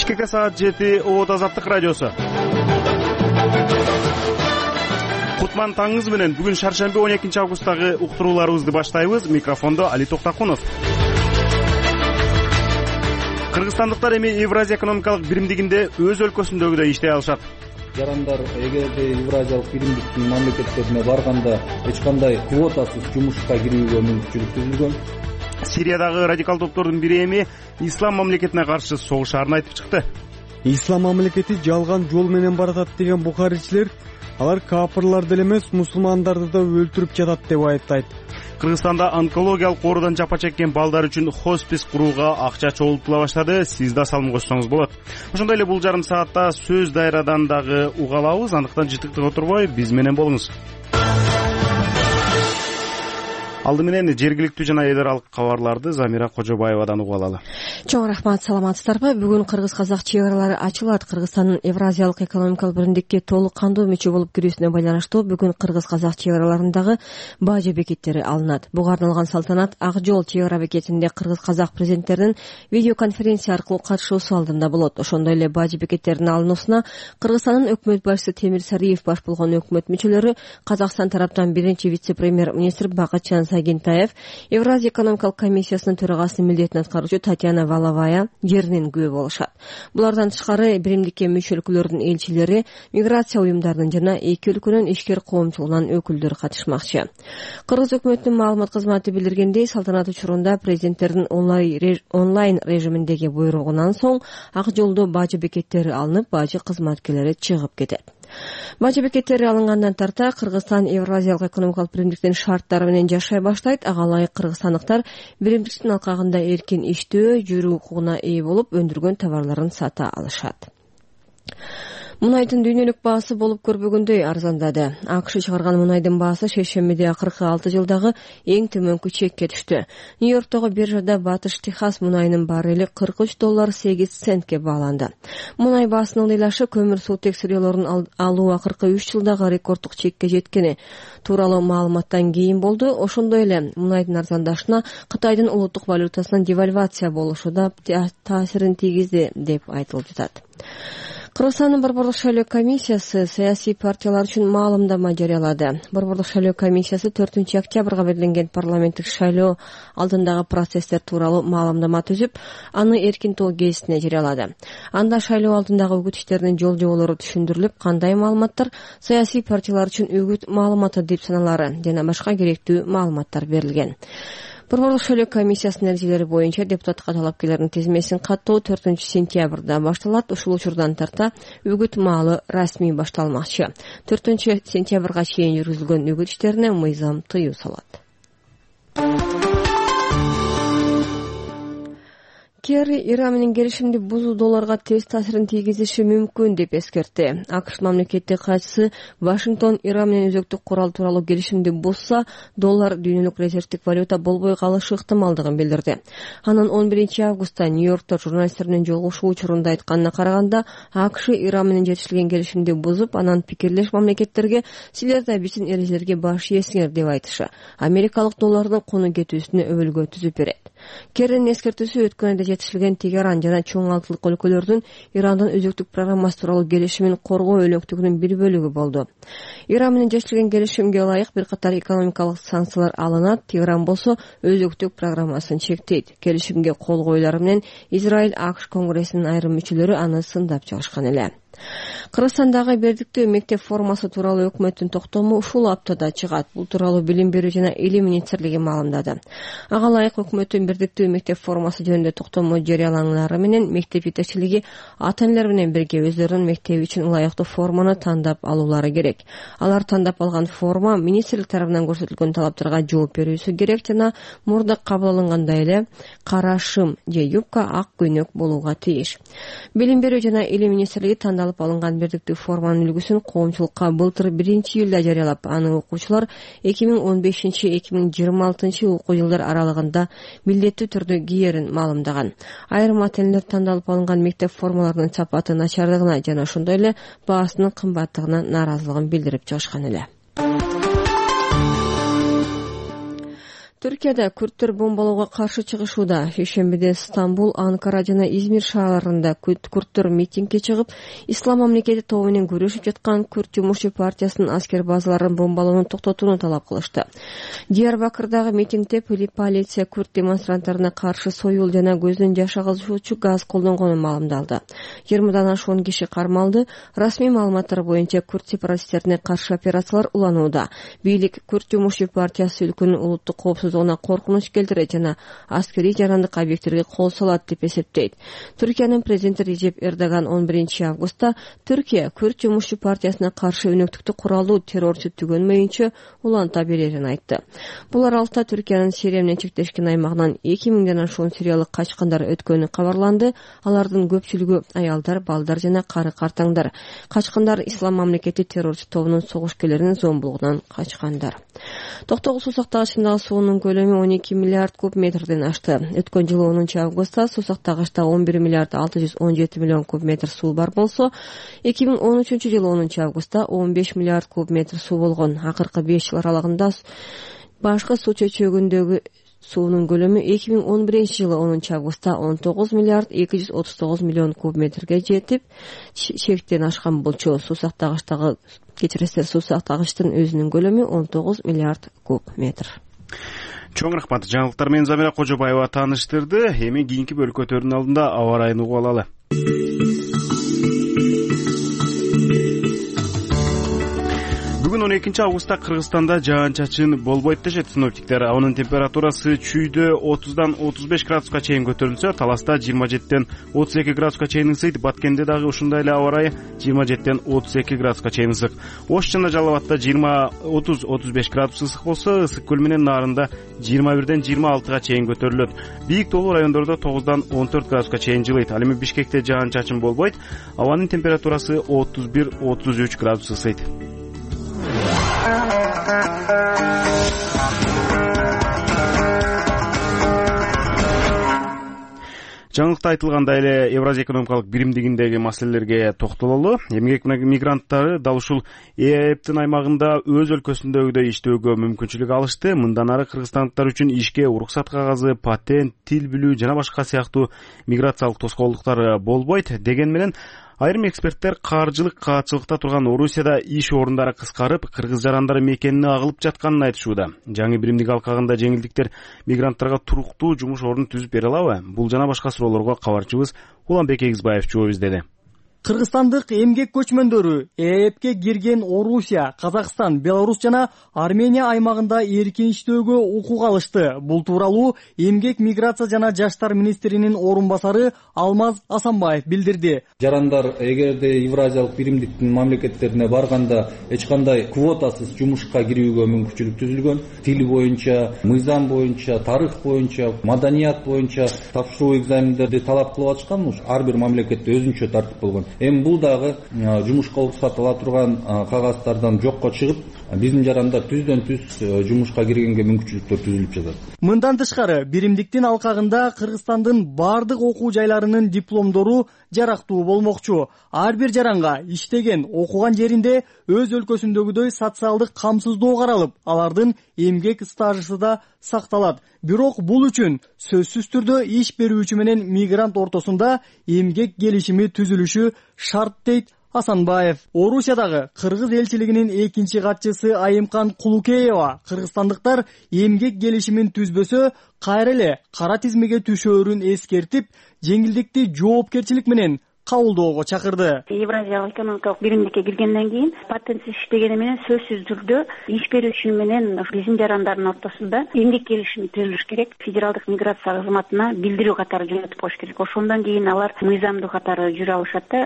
Бишкекке саат 7 Обод Азаттык радиосу. Кутман таңыңыз менен бүгүн шаршемби 12 августтагы уктурууларыбызды баштайбыз. Микрофондо Али Токтакунов. Кыргызстандыктар эми Евразия экономикалык биримдигинде өз өлкөсүндөгүдөй иштей алышат. Жарандар эгерде Евразиялык биримдиктин мамлекеттерине барганда эч кандай квотасыз жумушка кирүүгө мүмкүнчүлүк түзүлгөн. Сириядагы радикал топтордун бири эми ислам мамлекетине каршы согушаарын айтып чыкты. Ислам мамлекети жалган жол менен баратат деген бухаричилер алар капырлар деле эмес, мусулмандарды да өлтүрүп жатат деп айыптайт. Кыргызстанда онкологиялык оорудан жапа чеккен балдар үчүн хоспис курууга акча чогултула баштады. Сиз да салым кошсоңуз болот. Ошондой эле бул жарым саатта сөз дайрадан дагы уга алабыз. Андыктан жытыктык отурбой биз менен болуңуз. Алды менен жергиликтүү жана эл аралык кабарларды Замира Кожобаевадан угуп алалы. Чоң рахмат, саламатсыздарбы? Бүгүн кыргыз-казак чек аралары ачылат. Кыргызстандын Евразиялык экономикалык биримдикке толук кандуу мүчө болуп кирүүсүнө байланыштуу бүгүн кыргыз-казак чек араларындагы бажы бекеттери алынат. Буга арналган салтанат Ак жол чек ара бекетинде кыргыз-казак президенттеринин видеоконференция аркылуу катышуусу алдында болот. Ошондой эле бажы бекеттеринин алынуусуна Кыргызстандын өкмөт башчысы Темир Сариев баш болгон өкмөт мүчөлөрү, Казакстан тараптан биринчи вице-премьер-министр Бакытжан Сагентаев, Евразия экономикалык комиссиясынын төрагасынын милдетин аткаруучу Татьяна Валовая жеринен күбө болушат. Булардан тышкары биримдикке мүчө өлкөлөрдүн элчилери, миграция уюмдарынын жана эки өлкөнүн ишкер коомчулугунан өкүлдөр катышмакчы. Кыргыз өкмөтүнүн маалымат кызматы билдиргендей, салтанат учурунда президенттердин онлайн режиминдеги буйругунан соң Ак жолдо бажы бекеттери алынып, бажы кызматкерлери чыгып кетет. Бажы бекеттери алынгандан тарта Кыргызстан Евразиялык экономикалык биримдиктин шарттары менен жашай баштайт. Ага ылайык кыргызстандыктар биримдиктин алкагында эркин иштөө, жүрүү укугуна ээ болуп, өндүргөн товарларын сата алышат. Мунайдын дүйнөлүк баасы болуп көрбөгөндөй арзандады. АКШ чыгарган мунайдын баасы шейшембиде акыркы 6 жылдагы эң төмөнкү чекке түштү. Нью-Йорктогу биржада Батыш Техас мунайынын баррели $43.8 бааланды. Мунай баасынын ыйлашы көмүр суутек сырьёлорун алуу акыркы 3 жылдагы рекорддук чекке жеткени тууралуу маалыматтан кийин болду. Ошондой эле мунайдын арзандашына Кытайдын улуттук валютасынын девальвация болушу да таасирин тийгизди деп айтылып жатат. Кыргызстандын Борбордук шайлоо комиссиясы саясий партиялар үчүн маалымдама жарыялады. Борбордук шайлоо комиссиясы 4 октябрга белгиленген парламенттик шайлоо алдындагы процесстер тууралуу маалымдама түзүп, аны эркин тол гезитине жарыялады. Анда шайлоо алдындагы үгүт иштеринин жол-жоболору түшүндүрүлүп, кандай маалыматтар саясий партиялар үчүн үгүт маалыматы деп саналары жана башка керектүү маалыматтар берилген. Борбордук шайлоо комиссиясынын эрежелери боюнча депутаттыкка талапкерлердин тизмесин каттоо 4 сентябрда башталат. Ушул учурдан тарта үгүт маалы расмий башталмакчы. 4 сентябрга чейин жүргүзүлгөн үгүт иштерине мыйзам тыюу салат. Керри Иран менен келишимди бузуу долларга терс таасирин тийгизиши мүмкүн деп эскертти. АКШ мамлекеттик катчысы Вашингтон Иран менен өзөктүк курал тууралуу келишимди бузса, доллар дүйнөлүк резервдик валюта болбой калышы ыктымалдыгын билдирди. Анын 11 августта Нью-Йоркто журналисттер менен жолугушуу учурунда айтканына караганда, АКШ Иран менен жетишилген келишимди бузуп, анан пикирлеш мамлекеттерге силер да биздин эрежелерге баш ийесиңер деп айтышы америкалык доллардын куну кетүүсүнө өбөлгө түзүп берет. Керринин эскертүүсү өткөн айда жетишилген Тегеран жана чоң алтылык өлкөлөрдүн Ирандын өзөктүк программасы тууралуу келишимин коргоо өлөктүгүнүн бир бөлүгү болду. Иран менен жетишилген келишимге ылайык бир катар экономикалык санкциялар алынат. Тегеран болсо өзөктүк программасын чектейт. Келишимге кол коюлары менен Израиль АКШ конгрессинин айрым мүчөлөрү аны сындап чыгышкан эле. Кыргызстандагы бердиктүү мектеп формасы тууралуу өкмөттүн токтому ушул аптада чыгат. Бул тууралуу Билим берүү жана Илим министрлиги маалымдады. Ага ылайык өкмөттүн бердиктүү мектеп формасы жөнүндө токтому жарыяланары менен мектеп жетекчилиги ата-энелер менен бирге өздөрүнүн мектеби үчүн ылайыктуу форманы тандап алуулары керек. Алар тандап алган форма министрлик тарабынан көрсөтүлгөн талаптарга жооп берүүсү керек жана мурда кабыл алынгандай эле кара шым же юбка ак көйнөк болууга тийиш. Билим берүү жана Илим министрлиги алып алынган бердиктүү форманын үлгүсүн коомчулукка былтыр 1-июлда жарыялап, аны окуучулар 2015-2026 окуу жылдар аралыгында милдеттүү түрдө киерин маалымдаган. Айрым ата-энелер тандалып алынган мектеп формаларынын сапаты начардыгына жана ошондой эле баасынын кымбаттыгына нааразылыгын билдирип чыгышкан эле. Түркияда күрттөр бомбалоого каршы чыгышууда. Шейшембиде Стамбул, Анкара жана Измир шаарларында күрттөр митингге чыгып, Ислам мамлекети тобу менен күрөшүп жаткан Күрт жумушчу партиясынын аскер базаларын бомбалоону токтотууну талап кылышты. Диярбакырдагы митингде полиция күрт демонстранттарына каршы союл жана көздөн жаш агызуучу газ колдонгонун маалымдалды. 20дан ашуун киши кармалды. Расмий маалыматтар боюнча күрт сепаратисттерине каршы операциялар уланууда. Бийлик Күрт жумушчу партиясы өлкөнүн улуттук коопсуздугуна коркунуч келтирет жана аскерий жарандык объекттерге кол салат деп эсептейт. Түркиянын президенти Режеп Эрдоган 11-августта Түркия Күрт жумушчу партиясына каршы өнөктүктү куралдуу террорчу түгөнмөйүнчө уланта берерин айтты. Бул аралыкта Түркиянын Сирия менен чектешкен аймагынан 2000ден ашуун сириялык качкындар өткөнү кабарланды. Алардын көпчүлүгү аялдар, балдар жана кары-картаңдар. Качкындар Ислам мамлекети террорчу тобунун согушкерлеринин зомбулугунан качкандар. Токтогул суу сактагычындагы суунун көлөмү 12 миллиард куб метрден ашты. Өткөн жылы 10-августта суу сактагычта 11 миллиард 617 миллион куб метр суу бар болсо, 2013-жылы 10-августта 15 миллиард куб метр суу болгон. Акыркы 5 жыл аралыгында башкы суу чөйчөгүндөгү суунун көлөмү 2011-жылы 10-августта 19 миллиард 239 миллион куб метрге жетип, чектен ашкан болчу. Суу сактагычтын өзүнүн көлөмү 19 миллиард куб метр. Чоң рахмат. Жаңылыктар менен Замира Кожобаева тааныштырды. Эми кийинки бөлүккө өтөрүнүн алдында аба ырайын угуп алалы. Бүгүн 12-августта Кыргызстанда жаан-чачын болбойт дешет синоптиктер. Абанын температурасы чүйдө 30дан 35 градуска чейин көтөрүлсө, Таласта 27ден 32 градуска чейин ысыйт. Баткенде дагы ушундай эле аба ырайы 27ден 32 градуска чейин ысык. Ош жана Жалал Абадта 30-35 градус ысык болсо, Ысык көл менен Нарында 21ден 26га чейин көтөрүлөт. Бийик тоолуу райондордо 9дан 14 градуска чейин жылыйт. Ал эми Бишкекте жаан-чачын болбойт. Абанын температурасы 31-33 градус ысыйт. Жаңылыкта айтылгандай эле Евразия экономикалык биримдигиндеги маселелерге токтололу. Эмгек мигранттары дал ушул ЭЭПтин аймагында өз өлкөсүндөгүдөй иштөөгө мүмкүнчүлүк алышты. Мындан ары кыргызстандыктар үчүн ишке уруксат кагазы, патент, тил билүү жана башка сыяктуу миграциялык тоскоолдуктар болбойт деген менен айрым эксперттер каржылык каатчылыкта турган Орусияда иш орундары кыскарып, кыргыз жарандары мекенине агылып жатканын айтышууда. Жаңы биримдик алкагында жеңилдиктер мигранттарга туруктуу жумуш ордун түзүп бере алабы? Бул жана башка суроолорго кабарчыбыз Уланбек Эгизбаев жооп издеди. Кыргызстандык эмгек көчмөндөрү ЭЭПке кирген Орусия, Казакстан, Беларусь жана Армения аймагында эркин иштөөгө укук алышты. Бул тууралуу эмгек миграция жана жаштар министринин орун басары Алмаз Асанбаев билдирди. Жарандар эгерде Евразиялык биримдиктин мамлекеттерине барганда эч кандай квотасыз жумушка кирүүгө мүмкүнчүлүк түзүлгөн. Тил боюнча, мыйзам боюнча, тарых боюнча, маданият боюнча тапшыруу экзамендерди талап кылып атышкан. Ар бир мамлекетте өзүнчө тартип болгон. Эми бул дагы жумушка уруксат ала турган кагаздардан жокко чыгып, биздин жарандар түздөн түз жумушка киргенге мүмкүнчүлүктөр түзүлүп жатат. Мындан тышкары, биримдиктин алкагында Кыргызстандын бардык окуу жайларынын дипломдору жарактуу болмокчу. Ар бир жаранга иштеген, окуган жеринде өз өлкөсүндөгүдөй социалдык камсыздоо каралып, алардын эмгек стажысы да сакталат. Бирок бул үчүн сөзсүз түрдө иш берүүчү менен мигрант ортосунда эмгек келишими түзүлүшү шарт дейт Асанбаев. Орусиядагы кыргыз элчилигинин экинчи катчысы Айымкан Кулукеева кыргызстандыктар эмгек келишимин түзбөсө кайра эле кара тизмеге түшөөрүн эскертип, жеңилдикти жоопкерчилик менен кабылдоого чакырды. Евразиялык экономикалык биримдикке киргенден кийин патентсиз иштегени менен сөзсүз түрдө иш берүүчү менен биздин жарандардын ортосунда эмгек келишими түзүлүш керек. Федералдык миграция кызматына билдирүү катары жөнөтүп коюш керек. Ошондон кийин алар мыйзамдуу катары жүрө алышат да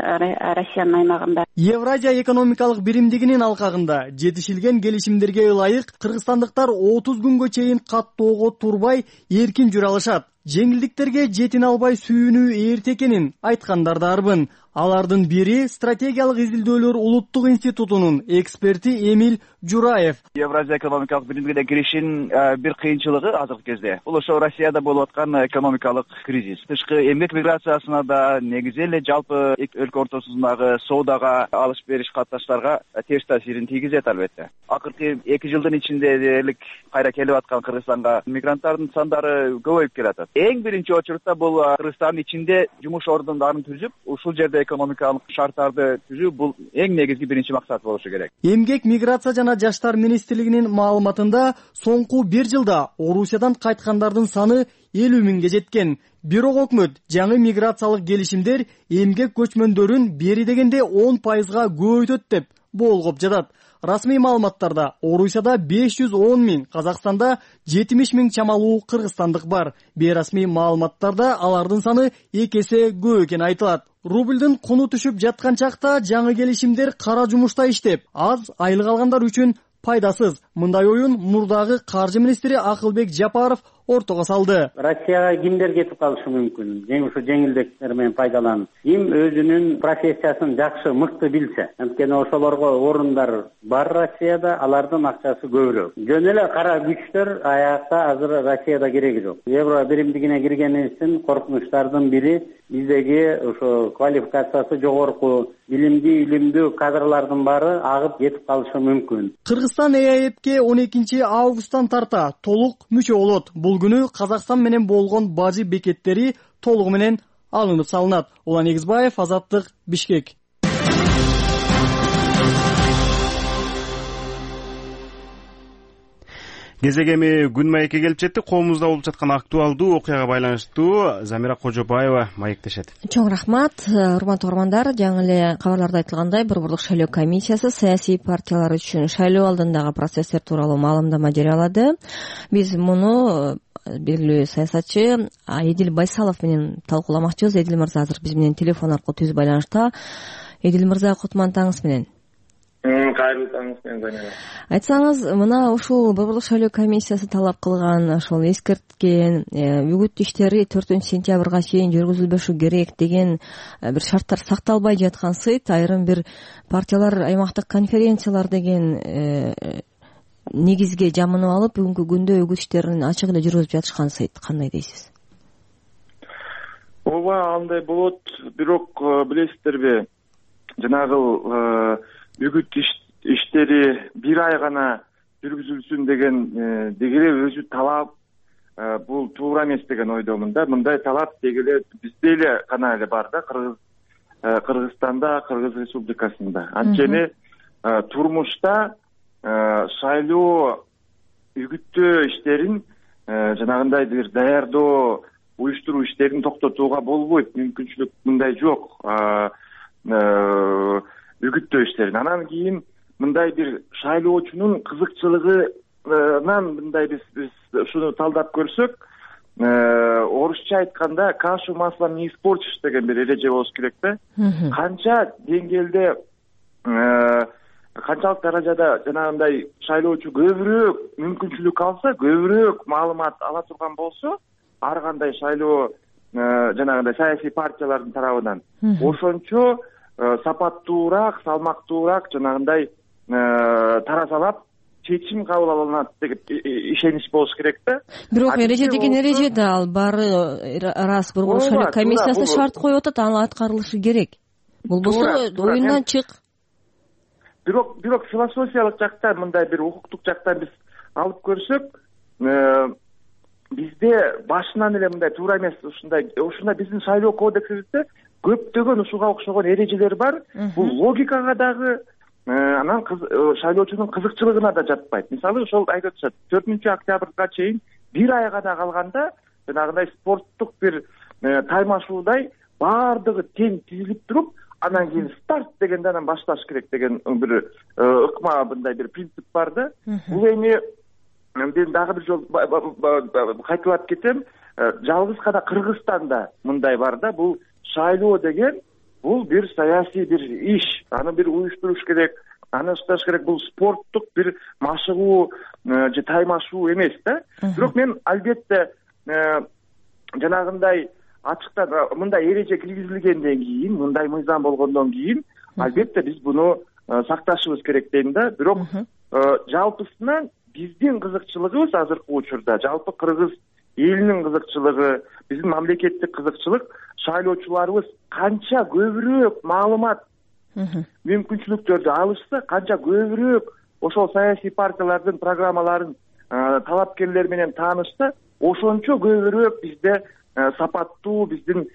Россиянын аймагында. Евразия экономикалык биримдигинин алкагында жетишилген келишимдерге ылайык кыргызстандыктар 30 күнгө чейин каттоого турбай эркин жүрө алышат. жеңилдиктерге жетине албай сүйүнүү эрте экенин айткандар дарбын. Алардын бири стратегиялык изилдөөлөр улуттук институтунун эксперти Эмиль Жураев. Евразия экономикалык биримдигине киришин бир кыйынчылыгы азыркы кезде бул ошо Россияда болуп аткан экономикалык кризис. Тышкы эмгек миграциясына да негизи эле жалпы өлкө ортосундагы соодага алыш бериш катнаштарга терс таасирин тийгизет албетте. Акыркы 2 жылдын ичинде дээрлик кайра келип аткан Кыргызстанга мигранттардын сандары көбөйүп келатат. Эң биринчи очурутта бул Кыргызстандын ичинде жумуш ордундарын түзүп, ушул жерде экономикалык шарттарды түзүү бул эң негизги биринчи максат болушу керек. Эмгек, миграция жана жаштар министрлигинин маалыматында соңку 1 жылда Орусиядан кайткандардын саны 50 миңге жеткен. Бирок өкмөт жаңы миграциялык келишимдер эмгек көчмөндөрүн бери дегенде 10% көбөйтөт деп болгоп жатат. Расмий маалыматтарда Орусияда 510 миң, Казакстанда 70 миң чамалуу кыргызстандык бар. Бейрасмий маалыматтарда алардын саны 2 эсе көп экени айтылат. Рубльдун куну түшүп жаткан чакта жаңы келишимдер кара жумушта иштеп, аз айлык алгандар үчүн пайдасыз. Мындай оюн мурдагы каржы министри Акылбек Жапаров ортого салды. Россияга кимдер кетип калышы мүмкүн? Ушу жеңилдиктер менен пайдаланып, ким өзүнүн профессиясын жакшы, мыкты билсе. Анткени ошолорго орундар бар Россияда, алардын акчасы көбүрөөк. Жөн эле кара күчтөр аякта азыр Россияда кереги жок. Евро биримдигине киргенибиздин коркунучтардын бири биздеги ошо квалификациясы жогорку, билимдүү, илимдүү кадрлардын баары агып кетип калышы мүмкүн. Кыргызстан ЭАЭПке 12 августтан тарта толук мүчө болот. Бул күнү Казакстан менен болгон бажы бекеттери толугу менен алынып салынат. Улан Эгизбаев, Азаттык, Бишкек. Кезегеми күн маекке келип жетти. Коомубузда болуп жаткан актуалдуу окуяга байланыштуу Замира Кожобаева маектешет. Чоң рахмат. Урматтуу угармандар, жаңы эле кабарларда айтылгандай, Борборлук шайлоо комиссиясы саясий партиялар үчүн шайлоо алдындагы процесстер тууралуу маалымдама жарыялады. Биз муну белгилүү саясатчы Эдил Байсалов менен талкууламакчыбыз. Эдил мырза азыр биз менен телефон аркылуу түз байланышта. Эдил мырза, кутман таңыңыз менен. Кайрылуу таңыңыз менен, Замира. Айтсаңыз, мына ушул Борборлук шайлоо комиссиясы талап кылган, ошол эскерткен үгүт иштери 4-сентябрга чейин жүргүзүлбөшү керек деген бир шарттар сакталбай жаткансыйт. Айрым бир партиялар аймактык конференциялар деген негизге жамынып алып, бүгүнкү күндө үгүт иштерин ачык эле жүргүзүп жатышкансыйт. Кандай дейсиз? Ооба, андай болот. Бирок билесиздерби, жанагы үгүт иштери 1 ай гана жүргүзүлсүн деген дегеле өзү талап, бул туура эмес деген ойдомун да. Мындай талап дегеле бизде эле гана эле бар да, Кыргызстанда, Кыргыз Республикасында. Анткени турмушта шайлоо үгүттөө иштерин жанагындай бир даярдоо, уюштуруу иштерин токтотууга болбойт. Мүмкүнчүлүк мындай жок. Үгүттөө иштерин. Анан кийин мындай бир шайлоочунун кызыкчылыгынан мындай биз ушуну талдап көрсөк, орусча айтканда кашу маслом не испортишь деген бир эреже болуш керек да. Канча деңгээлде, канчалык даражада жанагындай шайлоочу көбүрөөк мүмкүнчүлүк алса, көбүрөөк маалымат ала турган болсо, ар кандай шайлоо жанагындай саясий партиялардын тарабынан ошончо сапаттуураак, салмактуураак жанагындай таразалап чечим кабыл алынат деп ишенич болуш керек да. Бирок эреже деген эреже да, ал баары рас. Борборлук шайлоо комиссиясы шарт коюп атат, аны аткарылышы керек. Болбосо оюндан чык. Бирок философиялык жактан, мындай бир укуктук жактан биз алып көрсөк, бизде башынан эле мындай туура эмес, ушундай биздин шайлоо кодексибизде көптөгөн ушуга окшогон эрежелер бар. Бул логикага дагы, анан шайлоочунун кызыкчылыгына да жатпайт. Мисалы, ошол айтып атышат, 4-октябрга чейин 1 ай гана калганда жанагындай спорттук бир таймашуудай баардыгы тең тизилип туруп, анан кийин старт дегенде анан башташ керек деген бир ыкма, мындай бир принцип бар да. Бул эми мен дагы бир жолу кайталап кетем, жалгыз гана Кыргызстанда мындай бар да. Бул шайлоо деген бул бир саясий бир иш, аны бир уюштуруш керек, аны ышташ керек. Бул спорттук бир машыгуу же таймашуу эмес да. Бирок мен албетте жанагындай ачыктан мындай эреже киргизилгенден кийин, мындай мыйзам болгондон кийин албетте биз буну сакташыбыз керек дейм да. Бирок жалпысынан биздин кызыкчылыгыбыз азыркы учурда, жалпы кыргыз элинин кызыкчылыгы, биздин мамлекеттик кызыкчылык шайлоочуларыбыз канча көбүрөөк маалымат мүмкүнчүлүктөрдү алышса, канча көбүрөөк ошол саясий партиялардын программаларын талапкерлер менен таанышса, ошончо көбүрөөк бизде сапаттуу биздин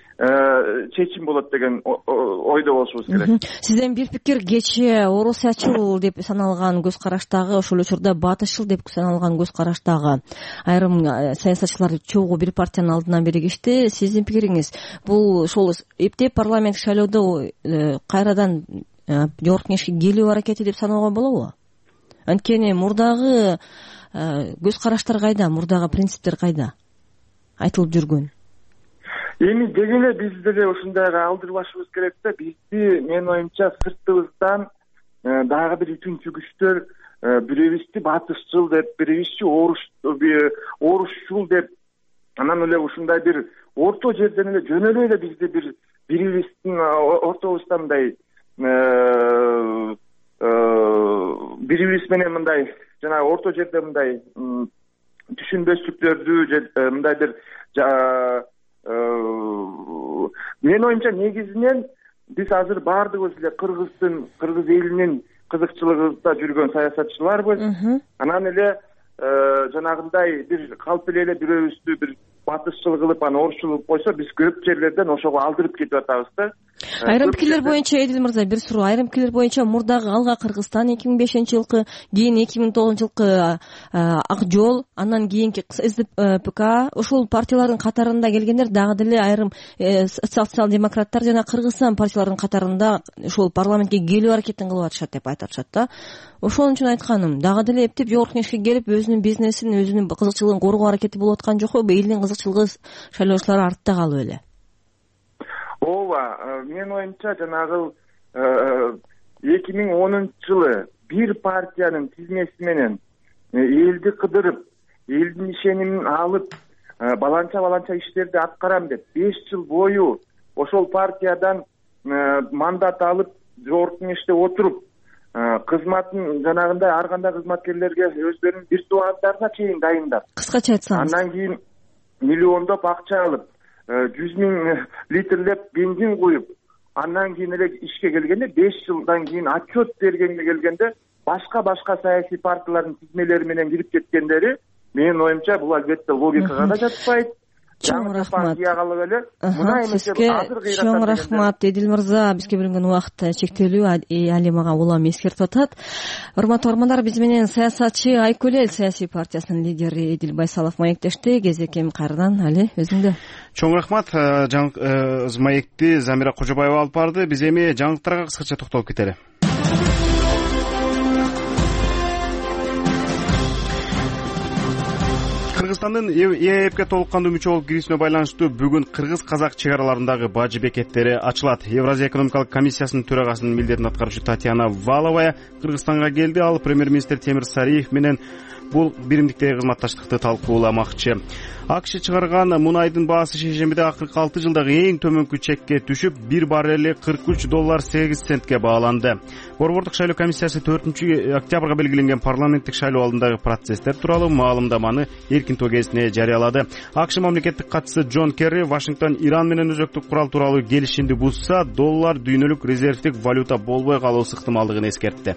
чечим болот деген ойдо болушубуз керек. Сизден бир пикир, кечээ орусячыл деп саналган көз караштагы, ошол учурда батышчыл деп саналган көз караштагы айрым саясатчылар чогуу бир партиянын алдына биригишти. Сиздин пикириңиз, бул ошол эптеп парламенттик шайлоодо кайрадан жогорку кеңешке келүү аракети деп саноого болобу? Анткени мурдагы көз караштар кайда, мурдагы принциптер кайда айтылып жүргөн? Эми деги эле биз деле ушундайга алдырбашыбыз керек да. Бизди, менин оюмча, сыртыбыздан дагы бир үчүнчү күчтөр бирибизди батышчыл деп, бирибизчи орусчул деп, анан эле ушундай бир орто жерден эле жөн эле бизди бирибиздин ортобузда мындай бирибиз менен мындай жанагы орто жерде мындай түшүнбөстүктөрдү же мындай бир менин оюмча негизинен биз азыр баардыгыбыз эле кыргыз элинин кызыкчылыгында жүргөн саясатчыларбыз. Анан эле жанагындай бир калп эле бирөөбүздү бир батышчыл кылып, анан орусчул кылып койсо, биз көп жерлерден ошого алдырып кетип атабыз да. Айрым пикирлер боюнча, Эдил мырза, бир суроо. Айрым пикирлер боюнча мурдагы Алга Кыргызстан 2005-жылкы, кийин 2009-жылкы Ак жол, андан кийинки СДПК, ошол партиялардын катарында келгендер дагы деле айрым социал-демократтар жана Кыргызстан партияларынын катарында ошол парламентке келүү аракетин кылып атышат деп айтып атышат да. Ошон үчүн айтканым, дагы деле эптеп жогорку кеңешке келип өзүнүн бизнесин, өзүнүн кызыкчылыгын коргоо аракети болуп аткан жокпу? Элдин кызыкчылыгы шайлоочулар артта калып эле? Ооба, менин оюмча жанагы 2010-жылы бир партиянын тизмеси менен элди кыдырып, элдин ишенимин алып, баланча иштерди аткарам деп 5 жыл бою ошол партиядан мандат алып, жогорку кеңеште отуруп, кызматын жанагындай ар кандай кызматкерлерге өздөрүнүн виртуалдарына чейин дайындап, кыскача айтсаңыз, андан кийин миллиондоп акча алып, 100 000 литрлеп бензин куюп, андан кийин эле ишке келгенде 5 жылдан кийин отчет бергенге келгенде башка саясий партиялардын тизмелери менен кирип кеткендери, менин оюмча, бул албетте логикага да жатпайт. Чоң рахмат. Сизге чоң рахмат, Эдил мырза. Бизге берилген убакыт чектелүү, али мага улам эскертип атат. Урматтуу угармандар, биз менен саясатчы Айкөл Эл саясий партиясынын лидери Эдил Байсалов маектешти. Кезекем кайрадан али өзүңдө. Чоң рахмат. Маекти Замира Кожобаева алып барды. Биз эми жаңылыктарга кыскача токтолуп кетели. Кыргызстандын ЭЭПке толук кандуу мүчө болуп кирүүсүнө байланыштуу бүгүн кыргыз-казак чек араларындагы бажы бекеттери ачылат. Евразия экономикалык комиссиясынын төрагасынын милдетин аткаруучу Татьяна Валовая Кыргызстанга келди. Ал премьер-министр Темир Сариев менен бул биримдиктеги кызматташтыкты талкууламакчы. АКШ чыгарган мунайдын баасы шейшембиде акыркы 6 жылдагы эң төмөнкү чекке түшүп, бир баррели $43.8 бааланды. Борбордук шайлоо комиссиясы 4-октябрга белгиленген парламенттик шайлоо алдындагы процесстер тууралуу маалымдаманы эркин кезине жарыялады. АКШ мамлекеттик катчысы Джон Керри Вашингтон Иран менен өзөктүк курал тууралуу келишимди бузса, доллар дүйнөлүк резервдик валюта болбой калуусу ыктымалдыгын эскертти.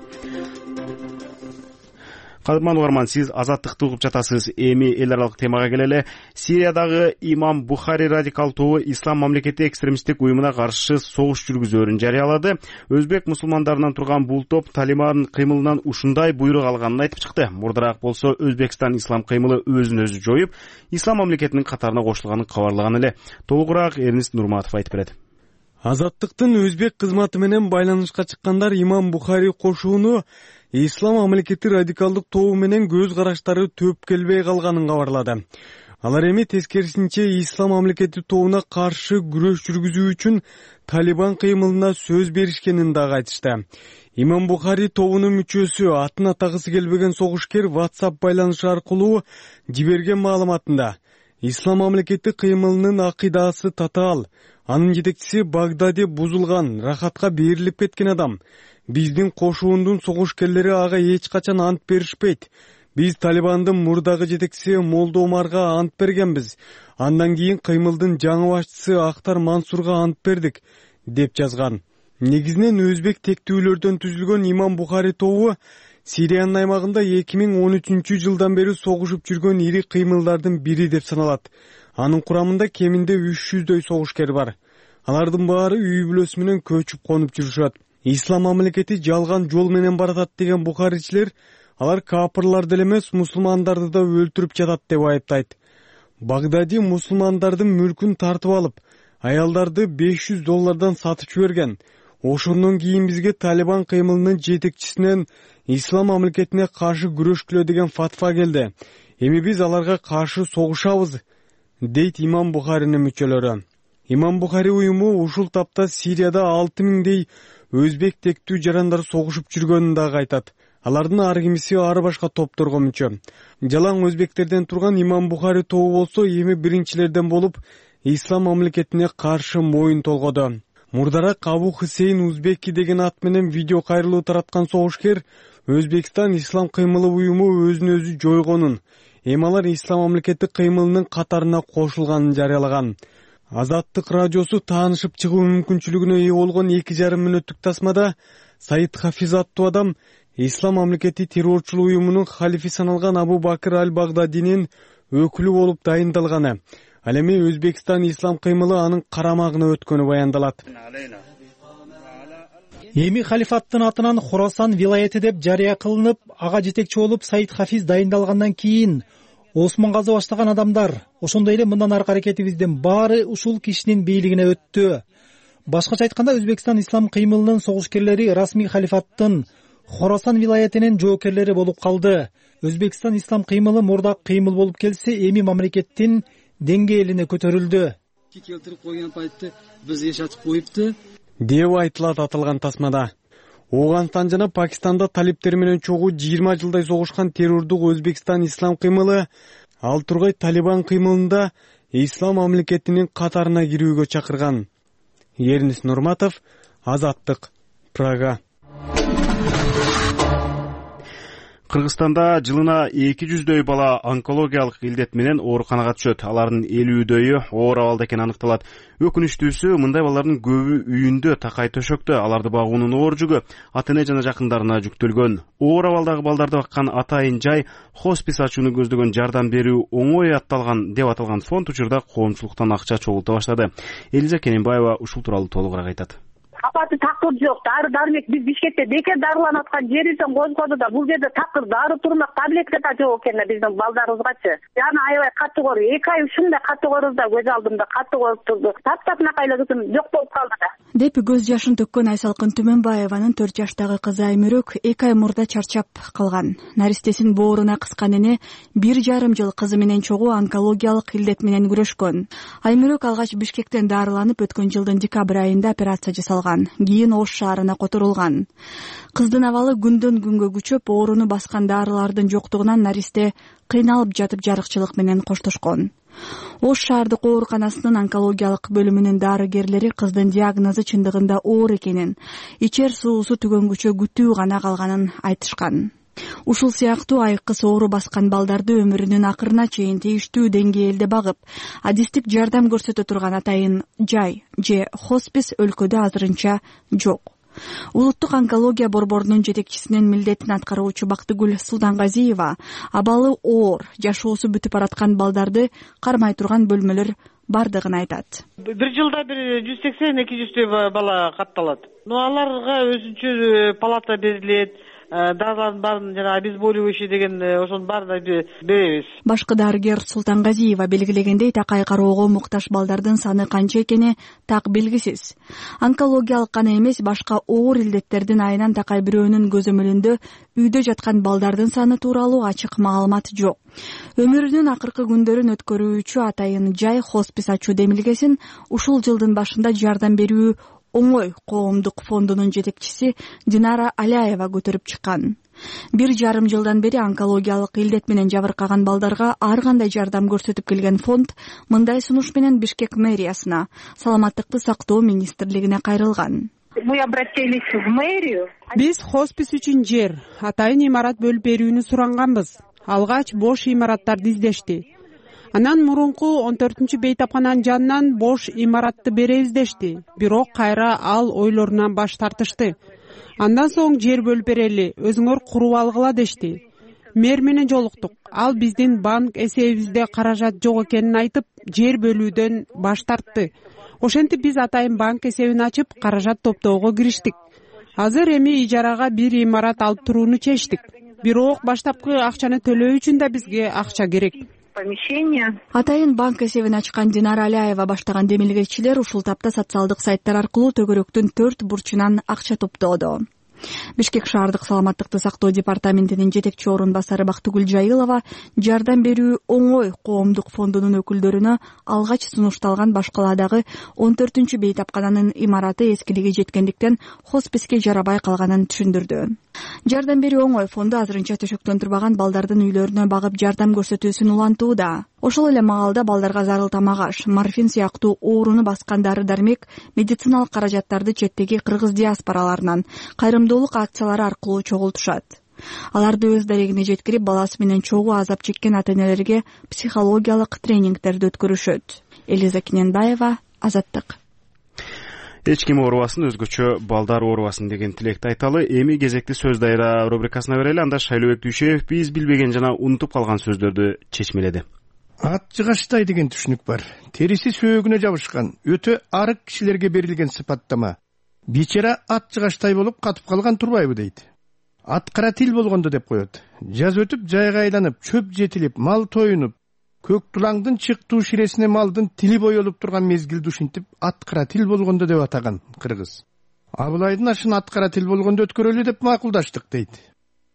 Кадырман угарман, сиз азаттыкты угуп жатасыз. Эми эл аралык темага келели. Сириядагы Имам Бухари радикал тобу Ислам мамлекети экстремисттик уюмуна каршы согуш жүргүзөөрүн жарыялады. Өзбек мусулмандарынан турган бул топ Талибан кыймылынан ушундай буйрук алганын айтып чыкты. Мурдараак болсо Өзбекстан ислам кыймылы өзүн өзү жоюп, Ислам мамлекетинин катарына кошулганын кабарлаган эле. Толугураак Эрнист Нурматов айтып берет. Азаттыктын өзбек кызматы менен байланышка чыккандар Имам Бухари кошууну Ислам мамлекети радикалдык тобу менен көз караштары төп келбей калганын кабарлады. Алар эми тескерисинче Ислам мамлекети тобуна каршы күрөш жүргүзүү үчүн Талибан кыймылына сөз беришкенин дагы айтышты. Имам Бухари тобунун мүчөсү, атын атагысы келбеген согушкер WhatsApp байланышы аркылуу жиберген маалыматында Ислам мамлекети кыймылынын акыйдасы татаал. Анын жетекчиси Багдади бузулган, рахатка берилип кеткен адам. Биздин кошуундун согушкерлери ага эч качан ант беришпейт. Биз Талибандын мурдагы жетекчиси Молдо Омарга ант бергенбиз. Андан кийин кыймылдын жаңы башчысы Актар Мансурга ант бердик, деп жазган. Негизинен өзбек тектүүлөрдөн түзүлгөн Имам Бухари тобу Сириянын аймагында 2013-жылдан бери согушуп жүргөн ири кыймылдардын бири деп саналат. Анын курамында кеминде 300дөй согушкер бар. Алардын баары үй бүлөсү менен көчүп конуп жүрүшөт. Ислам мамлекети жалган жол менен баратат деген бухаричилер алар капырларды эле эмес, мусулмандарды да өлтүрүп жатат деп айыптайт. Багдади мусулмандардын мүлкүн тартып алып, аялдарды $500 сатып жиберген. Ошондон кийин бизге Талибан кыймылынын жетекчисинен Ислам мамлекетине каршы күрөшкүлө деген фатва келди. Эми биз аларга каршы согушабыз, дейт Имам Бухаринин мүчөлөрү. Имам Бухари уюму ушул тапта Сирияда 6000дей өзбек тектүү жарандар согушуп жүргөнүн дагы айтат. Алардын ар кимиси ар башка топторго мүчө. Жалаң өзбектерден турган Имам Бухари тобу болсо эми биринчилерден болуп Ислам мамлекетине каршы моюн толгоду. Мурдараак Абу Хусейн Узбеки деген ат менен видео кайрылуу тараткан согушкер Өзбекстан Ислам кыймылы уюму өзүн өзү жойгонун, эми алар Ислам мамлекети кыймылынын катарына кошулганын жарыялаган. Азаттык радиосу таанышып чыгуу мүмкүнчүлүгүнө ээ болгон 2,5 мүнөттүк тасмада Саид Хафиз аттуу адам Ислам мамлекети террорчулук уюмунун халифи саналган Абу Бакыр аль-Багдадинин өкүлү болуп дайындалганы, ал эми Өзбекстан Ислам кыймылы анын карамагына өткөнү баяндалат. Эми халифаттын атынан Хорасан вилаяты деп жарыя кылынып, ага жетекчи болуп Саид Хафиз дайындалгандан кийин Осмонгазы баштаган адамдар, ошондой эле мындан аркы аракетибиздин баары ушул кишинин бийлигине өттү. Башкача айтканда, Өзбекстан Ислам кыймылынын согушкерлери расмий халифаттын Хорасан вилаятынын жоокерлери болуп калды. Өзбекстан Ислам кыймылы мурда кыймыл болуп келсе, эми мамлекеттин деңгээлине көтөрүлдү. Келтирип койгон пайтты биз эшатып коюпту, деп айтылат атылган тасмада. Ооганстан жана Пакистанда талиптер менен чогуу 20 жылдай согушкан террордук Өзбекстан Ислам кыймылы ал тургай Талибан кыймылында Ислам мамлекетинин катарына кирүүгө чакырган. Эрнис Нурматов, Азаттык, Прага. Кыргызстанда жылына 200дөй бала онкологиялык илдет менен ооруканага түшөт. Алардын 50дөйү оор абалда экени аныкталат. Өкүнүчтүүсү, мындай балдардын көбү үйүндө такай төшөктө, аларды багуунун оор жүгү ата-эне жана жакындарына жүктөлгөн. Оор абалдагы балдарды баккан атайын жай хоспис ачууну көздөгөн жардам берүү оңой атталган деп аталган фонд учурда коомчулуктан акча чогулта баштады. Элиза Кененбаева ушул тууралуу толугураак айтат. Апаты такыр жок, дары-дармек биз Бишкекте бекер дарыланып аткан жерибизден козгоду да, бул жерде такыр дары турмак таблетка да жок экен да биздин балдарыбызгачы. Жана аябай катуу оор, 2 ай ушундай катуу оорубуз да көз алдымда катуу ооруп турду. Таптапнакай кызым жок болуп калды да. Деп көз жашын төккөн Айсалкын Түмөнбаеванын 4 жаштагы кызы Аймүрөк 2 ай мурда чарчап калган. Наристесин бооруна кыскан эне 1,5 жыл кызы менен чогуу онкологиялык илдет менен күрөшкөн. Аймүрөк алгач Бишкектен дарыланып өткөн жылдын декабрь айында операция жасалган. Кийин Ош шаарына которулган. Кыздын абалы күндөн күнгө күчөп, ооруну баскан дарылардын жоктугунан наристе кыйналып жатып жарыкчылык менен коштошкон. Ош шаардык ооруканасынын онкологиялык бөлүмүнүн дарыгерлери кыздын диагнозу чындыгында оор экенин, ичер суусу түгөнгүчө күтүү гана калганын айтышкан. Ушул сыяктуу айыккыс оору баскан балдарды өмүрүнүн акырына чейин тийиштүү деңгээлде багып, адистик жардам көрсөтө турган атайын жай же хоспис өлкөдө азырынча жок. Улуттук онкология борборунун жетекчисинин милдетин аткаруучу Бактыгүл Султангазиева абалы оор, жашоосу бүтүп бараткан балдарды кармай турган бөлмөлөр бардыгын айтат. Бир жылда 180-200 бала катталат. Аларга өзүнчө палата берилет. Дарылардын баарын жана обезболивающий деген ошонун баарын беребиз. Башкы дарыгер Султангазиева белгилегендей, такай кароого муктаж балдардын саны канча экени так белгисиз. Онкологиялык гана эмес, башка оор илдеттердин айынан такай бирөөнүн көзөмөлүндө үйдө жаткан балдардын саны тууралуу ачык маалымат жок. Өмүрүнүн акыркы күндөрүн өткөрүүчү атайын жай хоспис ачуу демилгесин ушул жылдын башында жардам берүү оңой коомдук фондунун жетекчиси Динара Аляева көтөрүп чыккан. 1,5 жылдан бери онкологиялык илдет менен жабыркаган балдарга ар кандай жардам көрсөтүп келген фонд мындай сунуш менен Бишкек мэриясына, саламаттыкты сактоо министрлигине кайрылган. Мы обратились в мэрию. Биз хоспис үчүн жер, атайын имарат бөлүп берүүнү суранганбыз. Алгач бош имараттарды издешти. Анан мурунку 14-бейтапкананын жанынан бош имаратты беребиз дешти. Бирок кайра ал ойлорунан баш тартышты. Андан соң жер бөлүп берели, өзүңөр куруп алгыла дешти. Мэр менен жолуктук. Ал биздин банк эсебибизде каражат жок экенин айтып, жер бөлүүдөн баш тартты. Ошентип биз атайын банк эсебин ачып, каражат топтоого кириштик. Азыр эми ижарага бир имарат алып турууну чечтик. Бирок баштапкы акчаны төлөө үчүн да бизге акча керек. Атайын банк эсебин ачкан Динара Аляева баштаган демилгечилер ушул тапта социалдык сайттар аркылуу төгөрөктүн 4 бурчунан акча топтоодо. Бишкек шаардык саламаттыкты сактоо департаментинин жетекчи орун басары Бактыгүл Жайылова жардам берүү оңой коомдук фондунун өкүлдөрүнө алгач сунушталган башкаладагы 14-бейтапкананын имараты эскилиги жеткендиктен хосписке жарабай калганын түшүндүрдү. Жардам берүү оңой фонду азырынча төшөктөн турбаган балдардын үйлөрүнө багып жардам көрсөтүүсүн улантууда. Ошол эле маалда балдарга зарыл тамак аш, морфин сыяктуу ооруну баскан дары-дармек, медициналык каражаттарды четтеги кыргыз диаспораларынан кайрымдуулук акциялары аркылуу чогултушат. Аларды өз дарегине жеткирип, баласы менен чогуу азап чеккен ата-энелерге психологиялык тренингтерди өткөрүшөт. Элиза Кененбаева, Азаттык. Эч ким оорубасын, өзгөчө балдар оорубасын деген тилекти айталы. Эми кезекти сөз дайра рубрикасына берели. Анда Шайлообек Дүйшөев биз билбеген жана унутуп калган сөздөрдү чечмеледи. Ат жыгачтай деген түшүнүк бар. Териси сөөгүнө жабышкан, өтө арык кишилерге берилген сыпаттама. Бичара ат жыгачтай болуп катып калган турбайбы дейт. Ат кара тил болгондо деп коет. Жаз өтүп, жайга айланып, чөп жетилип, мал тоюнуп, көк тулаңдын чыктуу ширесине малдын тили боелуп турган мезгилди ушинтип ат кара тил болгондо деп атаган кыргыз. Абылайдын ашын ат кара тил болгондо өткөрөлү деп макулдаштык дейт.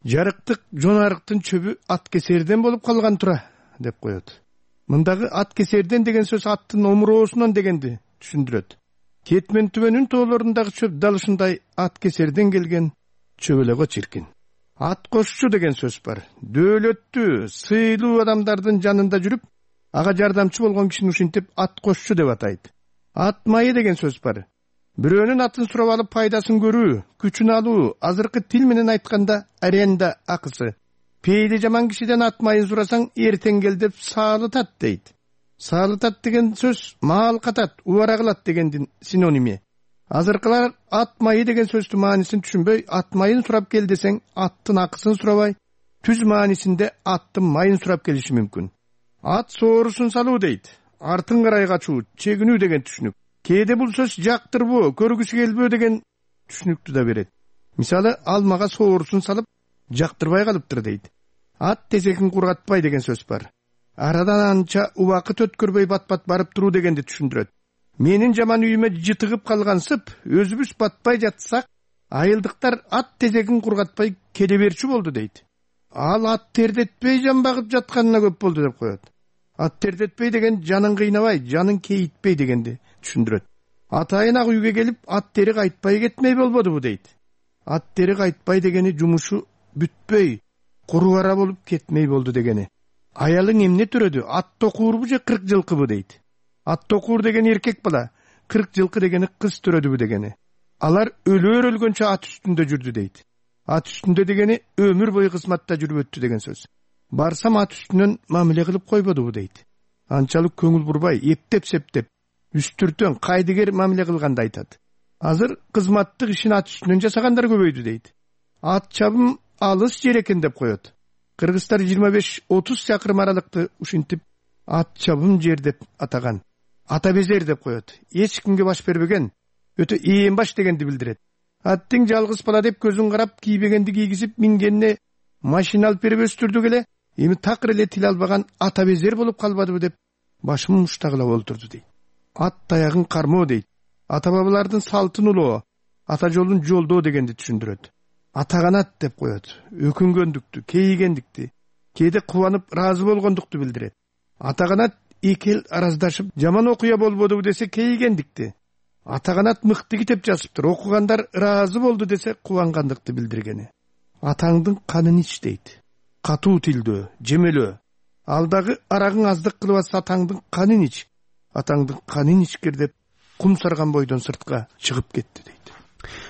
Жарыктык жонарыктын чөбү ат кесерден болуп калган тура деп коет. Мындагы ат кесерден деген сөз аттын омуроосунан дегенди түшүндүрөт. Кетмен түбөнүн тоолорундагы чөп далышындай ат кесерден келген чөбөлөгө чиркин. Ат кошчу деген сөз бар. Дөөлөттүү, сыйлуу адамдардын жанында жүрүп, ага жардамчы болгон кишини ушинтип ат кошчу деп атайт. Ат майы деген сөз бар. Бирөөнүн атын сурап алып пайдасын көрүү, күчүн алуу, азыркы тил менен айтканда аренда акысы. Пейли жаман кишиден ат майын сурасаң, эртең кел деп саалытат дейт. Саалытат деген сөз маал катат, убара кылат дегендин синоними. Азыркылар ат майы деген сөздүн маанисин түшүнбөй, ат майын сурап кел десең, аттын акысын сурабай, түз маанисинде аттын майын сурап келиши мүмкүн. Ат соорусун салуу дейт. Артын карай качуу, чегинүү деген түшүнүк. Кээде бул сөз жактырбоо, көргүсү келбөө деген түшүнүктү да берет. Мисалы, алмага соорусун салып, жактырбай калыптыр дейт. Ат тезегин кургатпай деген сөз бар. Арадан анча убакыт өткөрбөй бат-бат барып туруу дегенди түшүндүрөт. Менин жаман үйүмө жытыгып калгансып, өзүбүз батпай жатсак, айылдыктар ат тезегин кургатпай келе берчү болду дейт. Ал ат тердетпей жан багып жатканына көп болду деп коет. Ат тердетпей деген жанын кыйнабай, жанын кейитпей дегенди түшүндүрөт. Атайын ак үйгө келип, ат тери кайтпай кетмей болбодубу дейт. Ат тери кайтпай дегени жумушу бүтпөй, куру ара болуп кетмей болду дегени. Аялың эмне төрөдү? Ат токуурбу же 40 жылкыбы дейт. Ат токуур деген эркек бала, 40 жылкы дегени кыз төрөдүбү дегени. Алар өлөр өлгөнчө ат үстүндө жүрдү дейт. Ат үстүндө дегени өмүр бою кызматта жүрүп өттү деген сөз. Барсам ат үстүнөн мамиле кылып койбодубу дейт. Анчалык көңүл бурбай, эптеп-септеп, үстүртөн, кайдыгер мамиле кылганды айтат. Азыр кызматтык ишин ат үстүнөн жасагандар көбөйдү дейт. Ат чабым алыс жер экен деп коет. Кыргыздар 25-30 чакырым аралыкты ушинтип ат чабым жер деп атаган. Ата безер деп коет. Эч кимге баш бербеген, өтө ээн баш дегенди билдирет. Аттың жалгыз бала деп көзүн карап, кийбегенди кийгизип, мингенине машина алып берип өстүрдүк эле, эми такыр эле тил албаган ата безер болуп калбадыбы деп башын муштагыла олтурду дейт. Ат таягын кармоо дейт. Ата бабалардын салтын улоо, ата жолун жолдоо дегенди түшүндүрөт. Атаганат деп коет. Өкүнгөндүктү, кейигендикти, кээде кубанып ыраазы болгондукту билдирет. Атаганат эки эл араздашып, жаман окуя болбодубу десе кейигендикти. Атаганат мыкты китеп жазыптыр, окугандар ыраазы болду десе кубангандыкты билдиргени. атаңдын канын ич дейт. Катуу тилдөө, жемелөө. Ал дагы арагың аздык кылып атса атаңдын канын ич. Атаңдын канын ичкир деп кум сарган бойдон сыртка чыгып кетти дейт.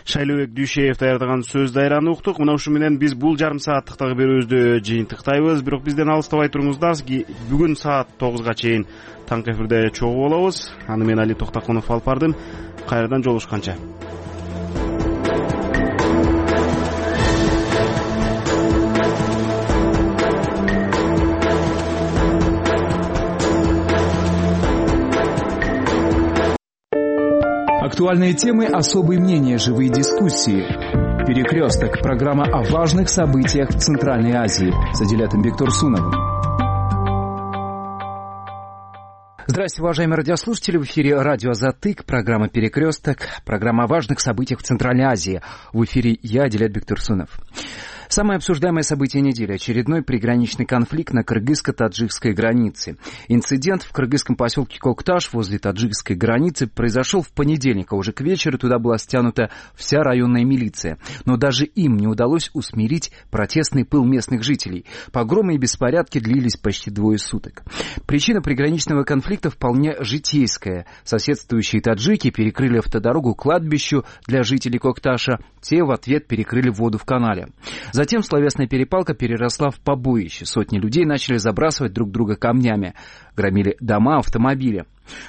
Шайлообек Дүйшеев даярдаган сөз дайраны уктук. Мына ушу менен биз бул жарым сааттыктагы берүүбүздү жыйынтыктайбыз. Бирок бизден алыстабай туруңуздар. Бүгүн саат 9га чейин таңкы эфирде чогуу болобуз. Аны мен Али Токтакунов алып бардым. Кайрадан жолугушканча. Актуальные темы, особые мнения, живые дискуссии. «Перекресток» – программа о важных событиях в Центральной Азии с Адилятом Бектурсуновым. Здравствуйте, уважаемые радиослушатели. В эфире радио «Затык», программа «Перекресток», программа о важных событиях в Центральной Азии. В эфире я, Адилят Бектурсунов. Самое обсуждаемое событие недели – очередной приграничный конфликт на кыргызско-таджикской границе. Инцидент в кыргызском поселке Кокташ возле таджикской границы произошел в понедельник, а уже к вечеру туда была стянута вся районная милиция. Но даже им не удалось усмирить протестный пыл местных жителей. Погромы и беспорядки длились почти 2 суток. Причина приграничного конфликта вполне житейская. Соседствующие таджики перекрыли автодорогу к кладбищу для жителей Кокташа. Те в ответ перекрыли воду в канале. Затем словесная перепалка переросла в побоище. Сотни людей начали забрасывать друг друга камнями. Громили дома, автомобили.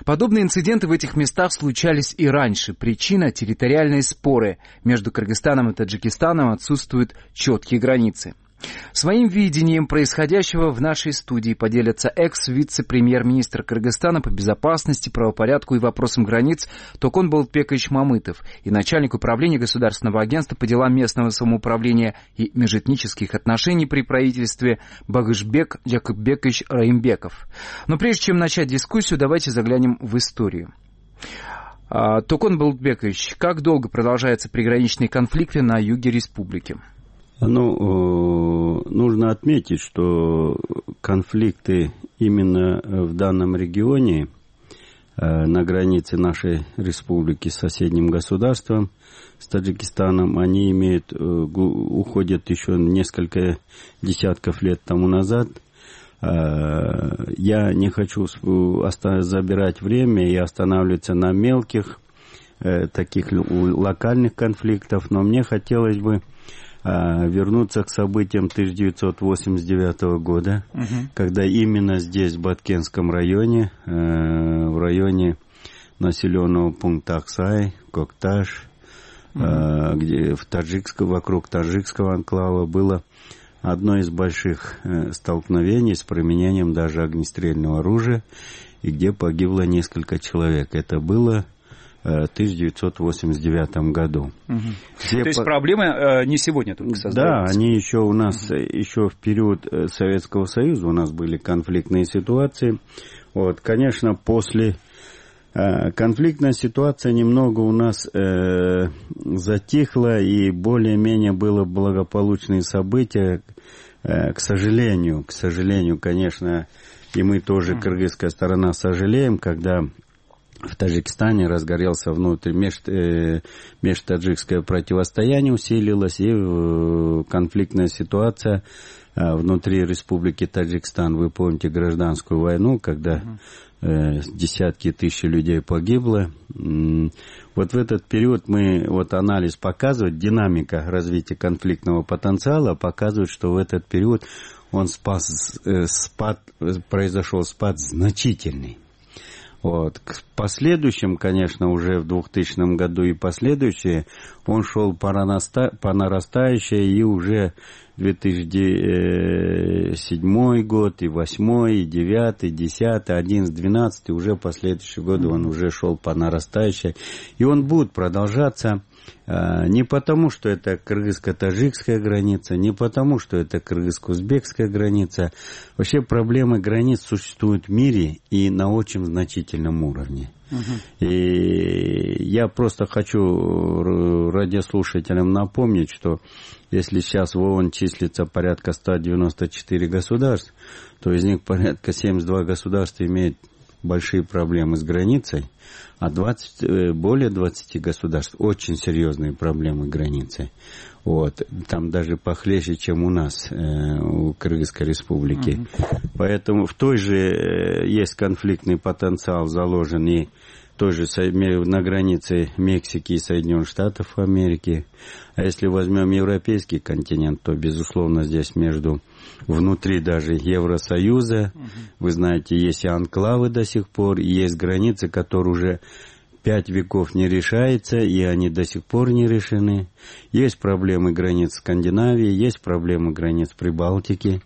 Подобные инциденты в этих местах случались и раньше. Причина – территориальные споры. Между Кыргызстаном и Таджикистаном отсутствуют четкие границы. Своим видением происходящего в нашей студии поделятся экс-вице-премьер-министр Кыргызстана по безопасности, правопорядку и вопросам границ Токон Болотбекович Мамытов и начальник управления Государственного агентства по делам местного самоуправления и межэтнических отношений при правительстве Багышбек Жакупбекович Раимбеков. Но прежде чем начать дискуссию, давайте заглянем в историю. Токон Болотбекович, как долго продолжаются приграничные конфликты на юге республики? Нужно отметить, что конфликты именно в данном регионе, на границе нашей республики с соседним государством, с Таджикистаном, они уходят еще несколько десятков лет тому назад. Я не хочу забирать время и останавливаться на мелких, таких локальных конфликтах, но мне хотелось бы вернуться к событиям 1989 года, когда именно здесь, в Баткенском районе, в районе населенного пункта Аксай, Кокташ, где вокруг таджикского анклава было одно из больших столкновений с применением даже огнестрельного оружия, и где погибло несколько человек. Это было в 1989 году. То есть проблемы не сегодня только создаются? Да, они еще у нас, еще в период Советского Союза у нас были конфликтные ситуации. Конечно, после конфликтная ситуация немного у нас затихла, и более-менее было благополучные события. К сожалению, конечно, и мы тоже, кыргызская сторона, сожалеем, когда в Таджикистане разгорелся межтаджикское противостояние, усилилось, и конфликтная ситуация внутри Республики Таджикистан. Вы помните гражданскую войну, когда десятки тысяч людей погибло. В этот период анализ показывает, динамика развития конфликтного потенциала показывает, что в этот период произошел спад значительный. К последующим, конечно, уже в 2000 году и последующие, он шел по нарастающей, и уже 2007 год, и 2008, и 2009, 2010, 2011, 2012, уже последующие годы он уже шел по нарастающей. И он будет продолжаться не потому, что это кыргызско-таджикская граница, не потому, что это кыргызско-узбекская граница. Вообще проблемы границ существуют в мире и на очень значительном уровне. И я просто хочу радиослушателям напомнить, что если сейчас в ООН числится порядка 194 государств, то из них порядка 72 государства имеют большие проблемы с границей, а более 20 государств очень серьезные проблемы границы. Вот. Там даже похлеще, чем у нас, у Кыргызской республики. Поэтому в той же есть конфликтный потенциал заложен и тоже на границе Мексики и Соединенных Штатов Америки. А если возьмем европейский континент, то, безусловно, здесь внутри даже Евросоюза, вы знаете, есть и анклавы до сих пор, и есть границы, которые уже 5 веков не решаются, и они до сих пор не решены. Есть проблемы границ Скандинавии, есть проблемы границ Прибалтики.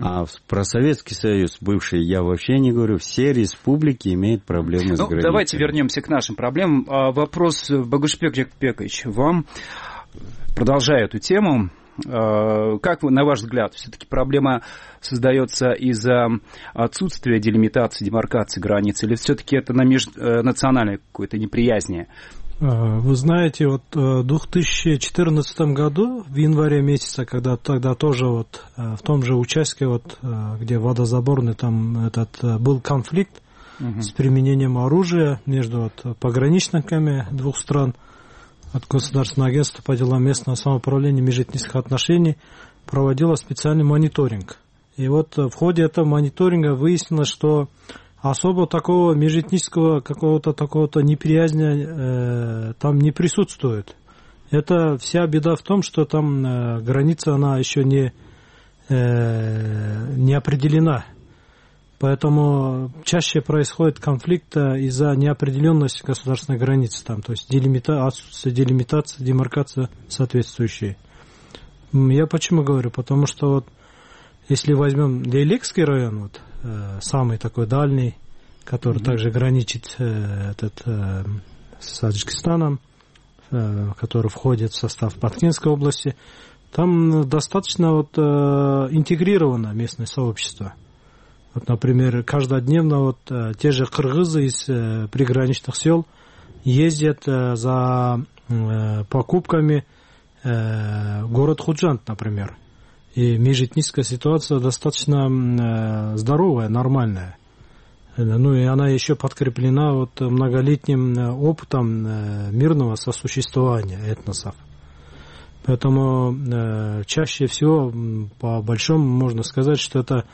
А про Советский Союз, бывший, я вообще не говорю, все республики имеют проблемы с границей. Давайте вернемся к нашим проблемам. Вопрос, Багушбек Жекпекович, вам, продолжая эту тему, как, на ваш взгляд, все-таки проблема создается из-за отсутствия делимитации, демаркации границ, или все-таки это на межнациональной какой-то неприязни? Вы знаете, вот в 2014 году, в январе месяце, когда тогда тоже вот в том же участке, вот, где водозаборный, там был конфликт с применением оружия между пограничниками двух стран, от Государственного агентства по делам местного самоуправления и межэтнических отношений проводила специальный мониторинг. И вот в ходе этого мониторинга выяснилось, что особо такого межэтнического какого-то такого-то неприязни там не присутствует. Это вся беда в том, что там граница, она еще не определена. Поэтому чаще происходит конфликт из-за неопределенности государственной границы, там, то есть отсутствие делимитации, демаркация соответствующая. Я почему говорю? Потому что вот, если возьмем Лейлекский район, вот, самый такой дальний, который также граничит с Таджикистаном, который входит в состав Башкирской области, там достаточно вот, интегрировано местное сообщество. Вот, например, каждодневно вот, те же кыргызы из приграничных сел ездят за покупками в город Худжанд, например. И межэтническая ситуация достаточно здоровая, нормальная. Ну и она еще подкреплена вот многолетним опытом мирного сосуществования этносов. Поэтому чаще всего, по большому, можно сказать, что это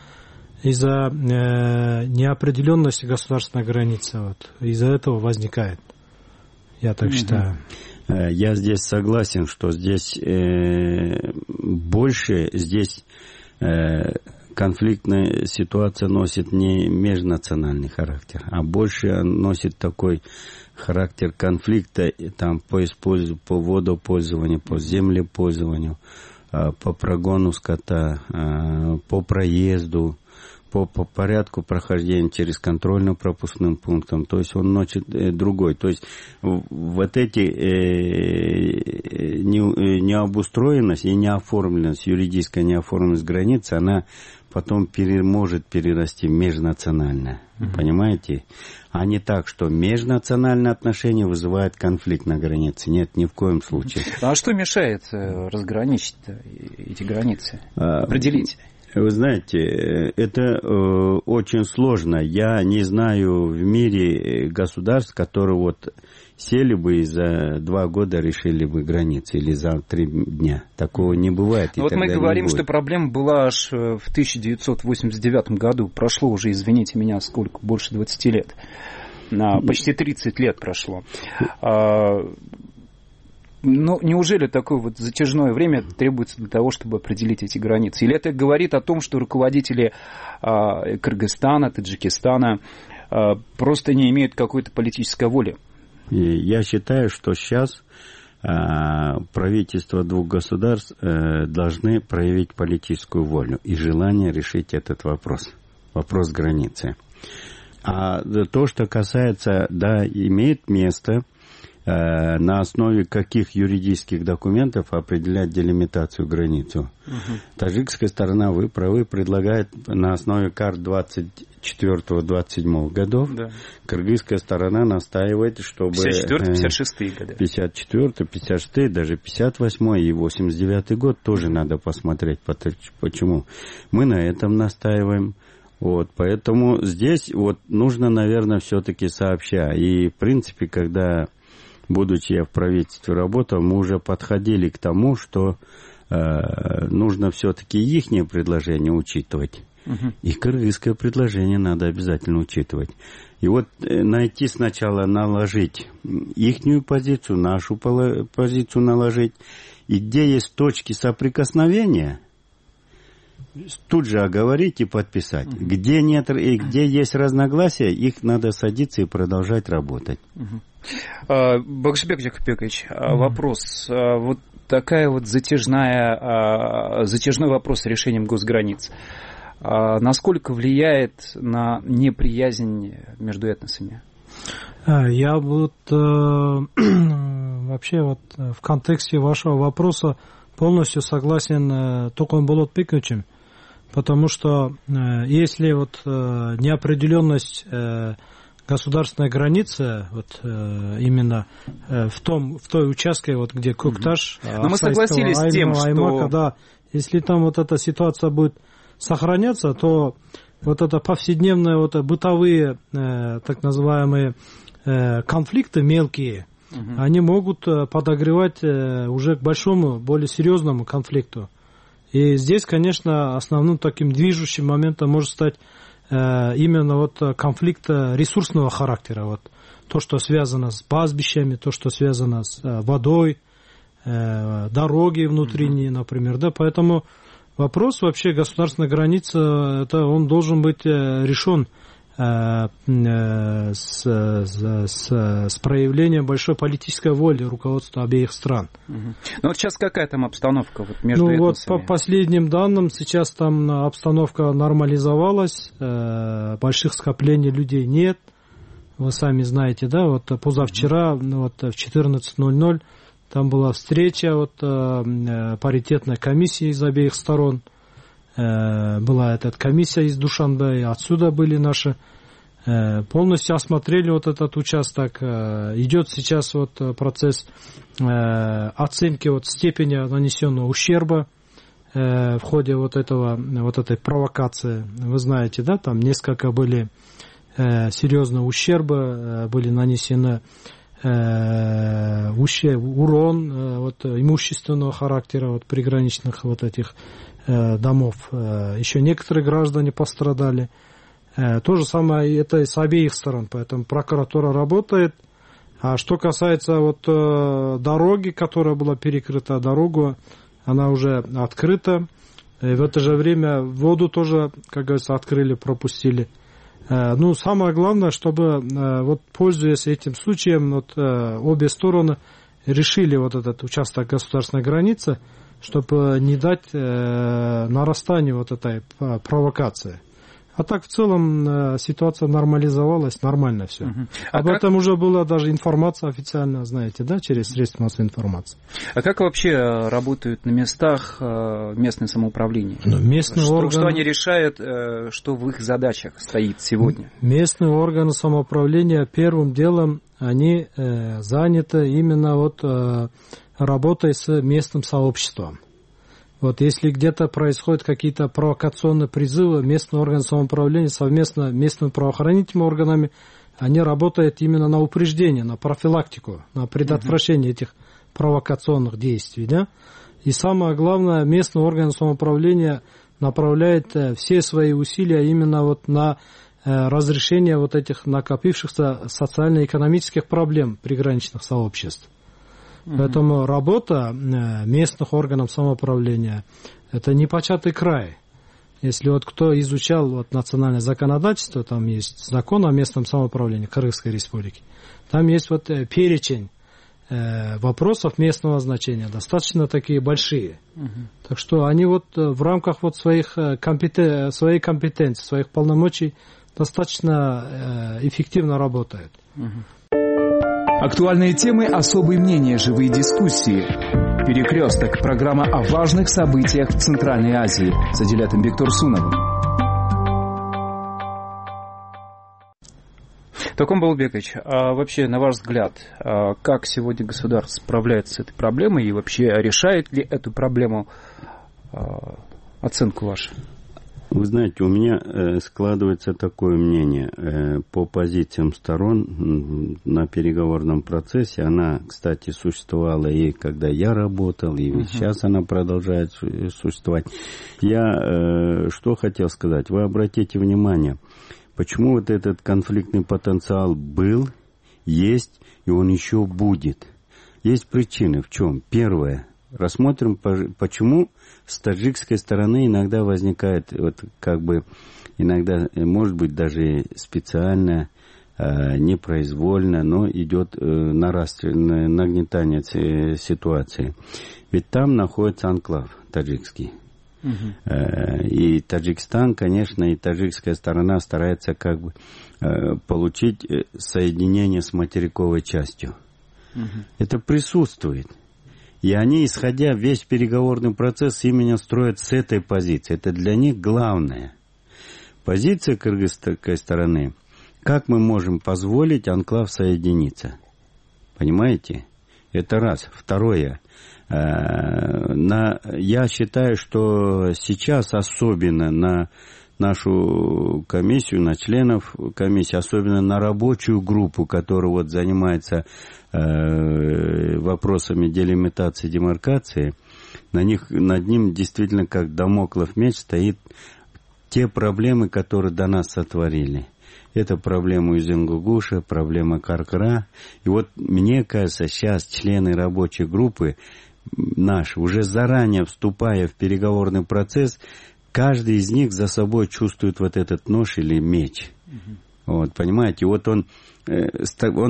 из-за неопределенности государственной границы, вот, из-за этого возникает. Я так считаю. Я здесь согласен, что здесь больше конфликтная ситуация носит не межнациональный характер, а больше носит такой характер конфликта там, по водопользованию, по землепользованию, по прогону скота, по проезду, по порядку прохождения через контрольно-пропускным пунктом. То есть он носит другой. То есть вот эти необустроенность и неоформленность, юридическая неоформленность границы, она потом может перерасти в межнациональное. Понимаете? А не так, что межнациональные отношения вызывают конфликт на границе. Нет, ни в коем случае. А что мешает разграничить эти границы? Определить? Вы знаете, это очень сложно. Я не знаю в мире государств, которые вот сели бы и за 2 года решили бы границы или за 3 дня. Такого не бывает. Вот мы говорим, что проблема была аж в 1989 году. Прошло уже, извините меня, сколько? Больше 20 лет. Почти 30 лет прошло. Но неужели такое вот затяжное время требуется для того, чтобы определить эти границы? Или это говорит о том, что руководители Кыргызстана, Таджикистана просто не имеют какой-то политической воли? Я считаю, что сейчас правительства 2 государств должны проявить политическую волю и желание решить этот вопрос границы. А то, что касается, да, имеет место на основе каких юридических документов определять делимитацию границу. Таджикская сторона, вы правы, предлагает на основе карт 24-27 годов. Да. Кыргызская сторона настаивает, чтобы 54-56 годы. 54-56, даже 58 и 89 год тоже надо посмотреть. Почему? Мы на этом настаиваем. Вот, поэтому здесь вот нужно, наверное, все-таки сообща. И, в принципе, когда, будучи я в правительстве работал, мы уже подходили к тому, что нужно все-таки ихнее предложение учитывать. И кыргызское предложение надо обязательно учитывать. И вот найти сначала, наложить ихнюю позицию, нашу позицию наложить. И где есть точки соприкосновения, тут же оговорить и подписать. Где нет и где есть разногласия, их надо садиться и продолжать работать. Багшибек Жакупбекович, вопрос. Вот такая вот затяжной вопрос с решением госграниц. Насколько влияет на неприязнь между этносами? Я вот вообще вот в контексте вашего вопроса полностью согласен Токон Болотбековичем, потому что если вот неопределенность государственной границы, вот именно в той участке, вот где Кокташ, но мы согласились с тем, Аймака, да, если там вот эта ситуация будет сохраняться, то вот это повседневные вот бытовые так называемые конфликты мелкие, они могут подогревать уже к большому, более серьезному конфликту. И здесь, конечно, основным таким движущим моментом может стать именно вот конфликт ресурсного характера. Вот то, что связано с пастбищами, то, что связано с водой, дороги внутренние, например. Да? Поэтому вопрос вообще государственной границы, это он должен быть решен с проявлением большой политической воли руководства обеих стран. Ну вот сейчас какая там обстановка вот между этносами? Вот по последним данным сейчас там обстановка нормализовалась, больших скоплений людей нет. Вы сами знаете, да, вот позавчера вот в 14:00 там была встреча вот паритетной комиссии из обеих сторон. Была эта комиссия из Душанбе, отсюда были наши, полностью осмотрели вот этот участок. Идет сейчас вот процесс оценки вот степени нанесенного ущерба в ходе вот этой провокации. Вы знаете, да, там несколько были серьезные ущербы, были нанесены урон вот имущественного характера вот приграничных вот этих домов. Еще некоторые граждане пострадали. То же самое это с обеих сторон, поэтому прокуратура работает. А что касается вот дороги, которая была перекрыта, дорогу, она уже открыта. И в это же время воду тоже, как говорится, открыли, пропустили. Ну, самое главное, чтобы, вот, пользуясь этим случаем, вот, обе стороны решили вот этот участок государственной границы, чтобы не дать нарастанию вот этой провокации. А так в целом ситуация нормализовалась, нормально все. Об этом уже была даже информация официальная, знаете, да, через средства массовой информации. А как вообще работают на местах местное самоуправление? Местные органы... Что они решают, что в их задачах стоит сегодня? Местные органы самоуправления первым делом они заняты именно вот работой с местным сообществом. Вот если где-то происходят какие-то провокационные призывы, местные органы самоуправления совместно с местными правоохранительными органами, они работают именно на упреждение, на профилактику, на предотвращение этих провокационных действий. Да? И самое главное, местные органы самоуправления направляют все свои усилия именно вот на разрешение вот этих накопившихся социально-экономических проблем приграничных сообществ. Поэтому работа местных органов самоуправления – это непочатый край. Если вот кто изучал вот национальное законодательство, там есть закон о местном самоуправлении Кыргызской Республики, там есть вот перечень вопросов местного значения, достаточно такие большие. Так что они вот в рамках вот своей компетенции, своих полномочий достаточно эффективно работают. Актуальные темы, особые мнения, живые дискуссии. «Перекресток» – программа о важных событиях в Центральной Азии с Адилятом Бектурсуновым. Токон Болотбекович, а вообще, на ваш взгляд, как сегодня государство справляется с этой проблемой и вообще решает ли эту проблему, оценку вашу? Вы знаете, у меня складывается такое мнение по позициям сторон на переговорном процессе. Она, кстати, существовала и когда я работал, и сейчас она продолжает существовать. Я что хотел сказать? Вы обратите внимание, почему вот этот конфликтный потенциал был, есть, и он еще будет. Есть причины. В чем? Первое. Рассмотрим, почему с таджикской стороны иногда возникает, вот как бы, иногда, может быть, даже специально, непроизвольно, но идет нагнетание ситуации. Ведь там находится анклав таджикский. И Таджикистан, конечно, и таджикская сторона старается как бы получить соединение с материковой частью. Это присутствует. И они, исходя весь переговорный процесс, именно строят с этой позиции. Это для них главное. Позиция кыргызской стороны. Как мы можем позволить анклав соединиться? Понимаете? Это раз. Второе. Я считаю, что сейчас особенно на нашу комиссию, на членов комиссии, особенно на рабочую группу, которая вот занимается вопросами делимитации, демаркации, над ним действительно как дамоклов меч стоит те проблемы, которые до нас сотворили. Это проблема Узенгугуша, проблема Каркара. И вот мне кажется, сейчас члены рабочей группы наши, уже заранее вступая в переговорный процесс, каждый из них за собой чувствует вот этот нож или меч. Вот, понимаете, вот он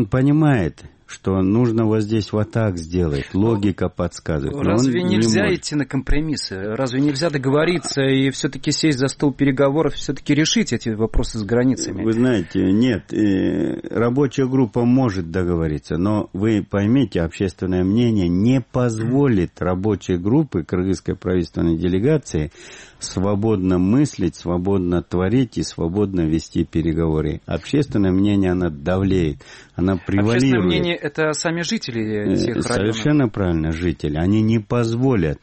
понимает, что нужно вот здесь вот так сделать. Логика подсказывает. Разве нельзя идти на компромиссы? Разве нельзя договориться и все-таки сесть за стол переговоров, все-таки решить эти вопросы с границами? Вы знаете, нет, рабочая группа может договориться, но вы поймите, общественное мнение не позволит рабочей группе кыргызской правительственной делегации свободно мыслить, свободно творить и свободно вести переговоры. Общественное мнение, оно давлеет, оно превалирует. Общественное мнение — это сами жители этих районов. Совершенно правильно, жители. Они не позволят.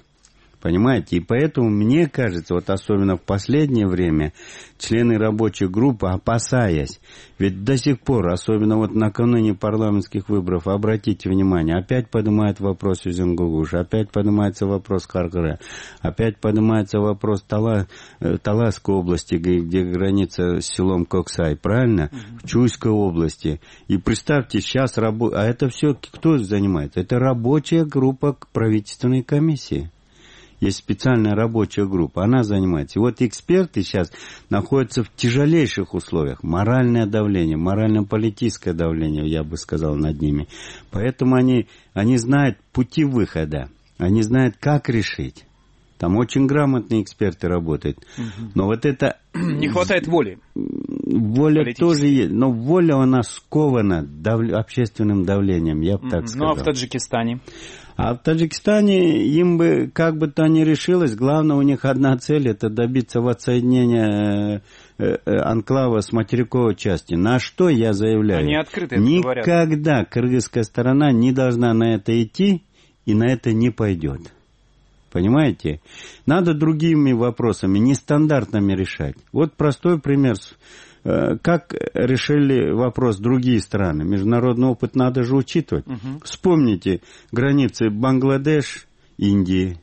Понимаете? И поэтому, мне кажется, вот особенно в последнее время, члены рабочей группы, опасаясь, ведь до сих пор, особенно вот накануне парламентских выборов, обратите внимание, опять поднимает вопрос Узенгугуш, опять поднимается вопрос Каркара, опять поднимается вопрос Таласской области, где граница с селом Коксай, правильно? В Чуйской области. И представьте, сейчас а это все кто занимается? Это рабочая группа правительственной комиссии. Есть специальная рабочая группа, она занимается. И вот эксперты сейчас находятся в тяжелейших условиях. Моральное давление, морально-политическое давление, я бы сказал, над ними. Поэтому они знают пути выхода, они знают, как решить. Там очень грамотные эксперты работают. Но вот это... Не хватает воли. Воля тоже есть, но воля, она скована общественным давлением, я бы так сказал. Ну а в Таджикистане? А в Таджикистане им бы, как бы то ни решилось, главное у них одна цель — это добиться воссоединения анклава с материковой части. На что я заявляю? Они открыто это говорят. Никогда кыргызская сторона не должна на это идти и на это не пойдет. Понимаете? Надо другими вопросами, нестандартными решать. Вот простой пример. Как решили вопрос другие страны? Международный опыт надо же учитывать. Вспомните границы Бангладеш, Индии,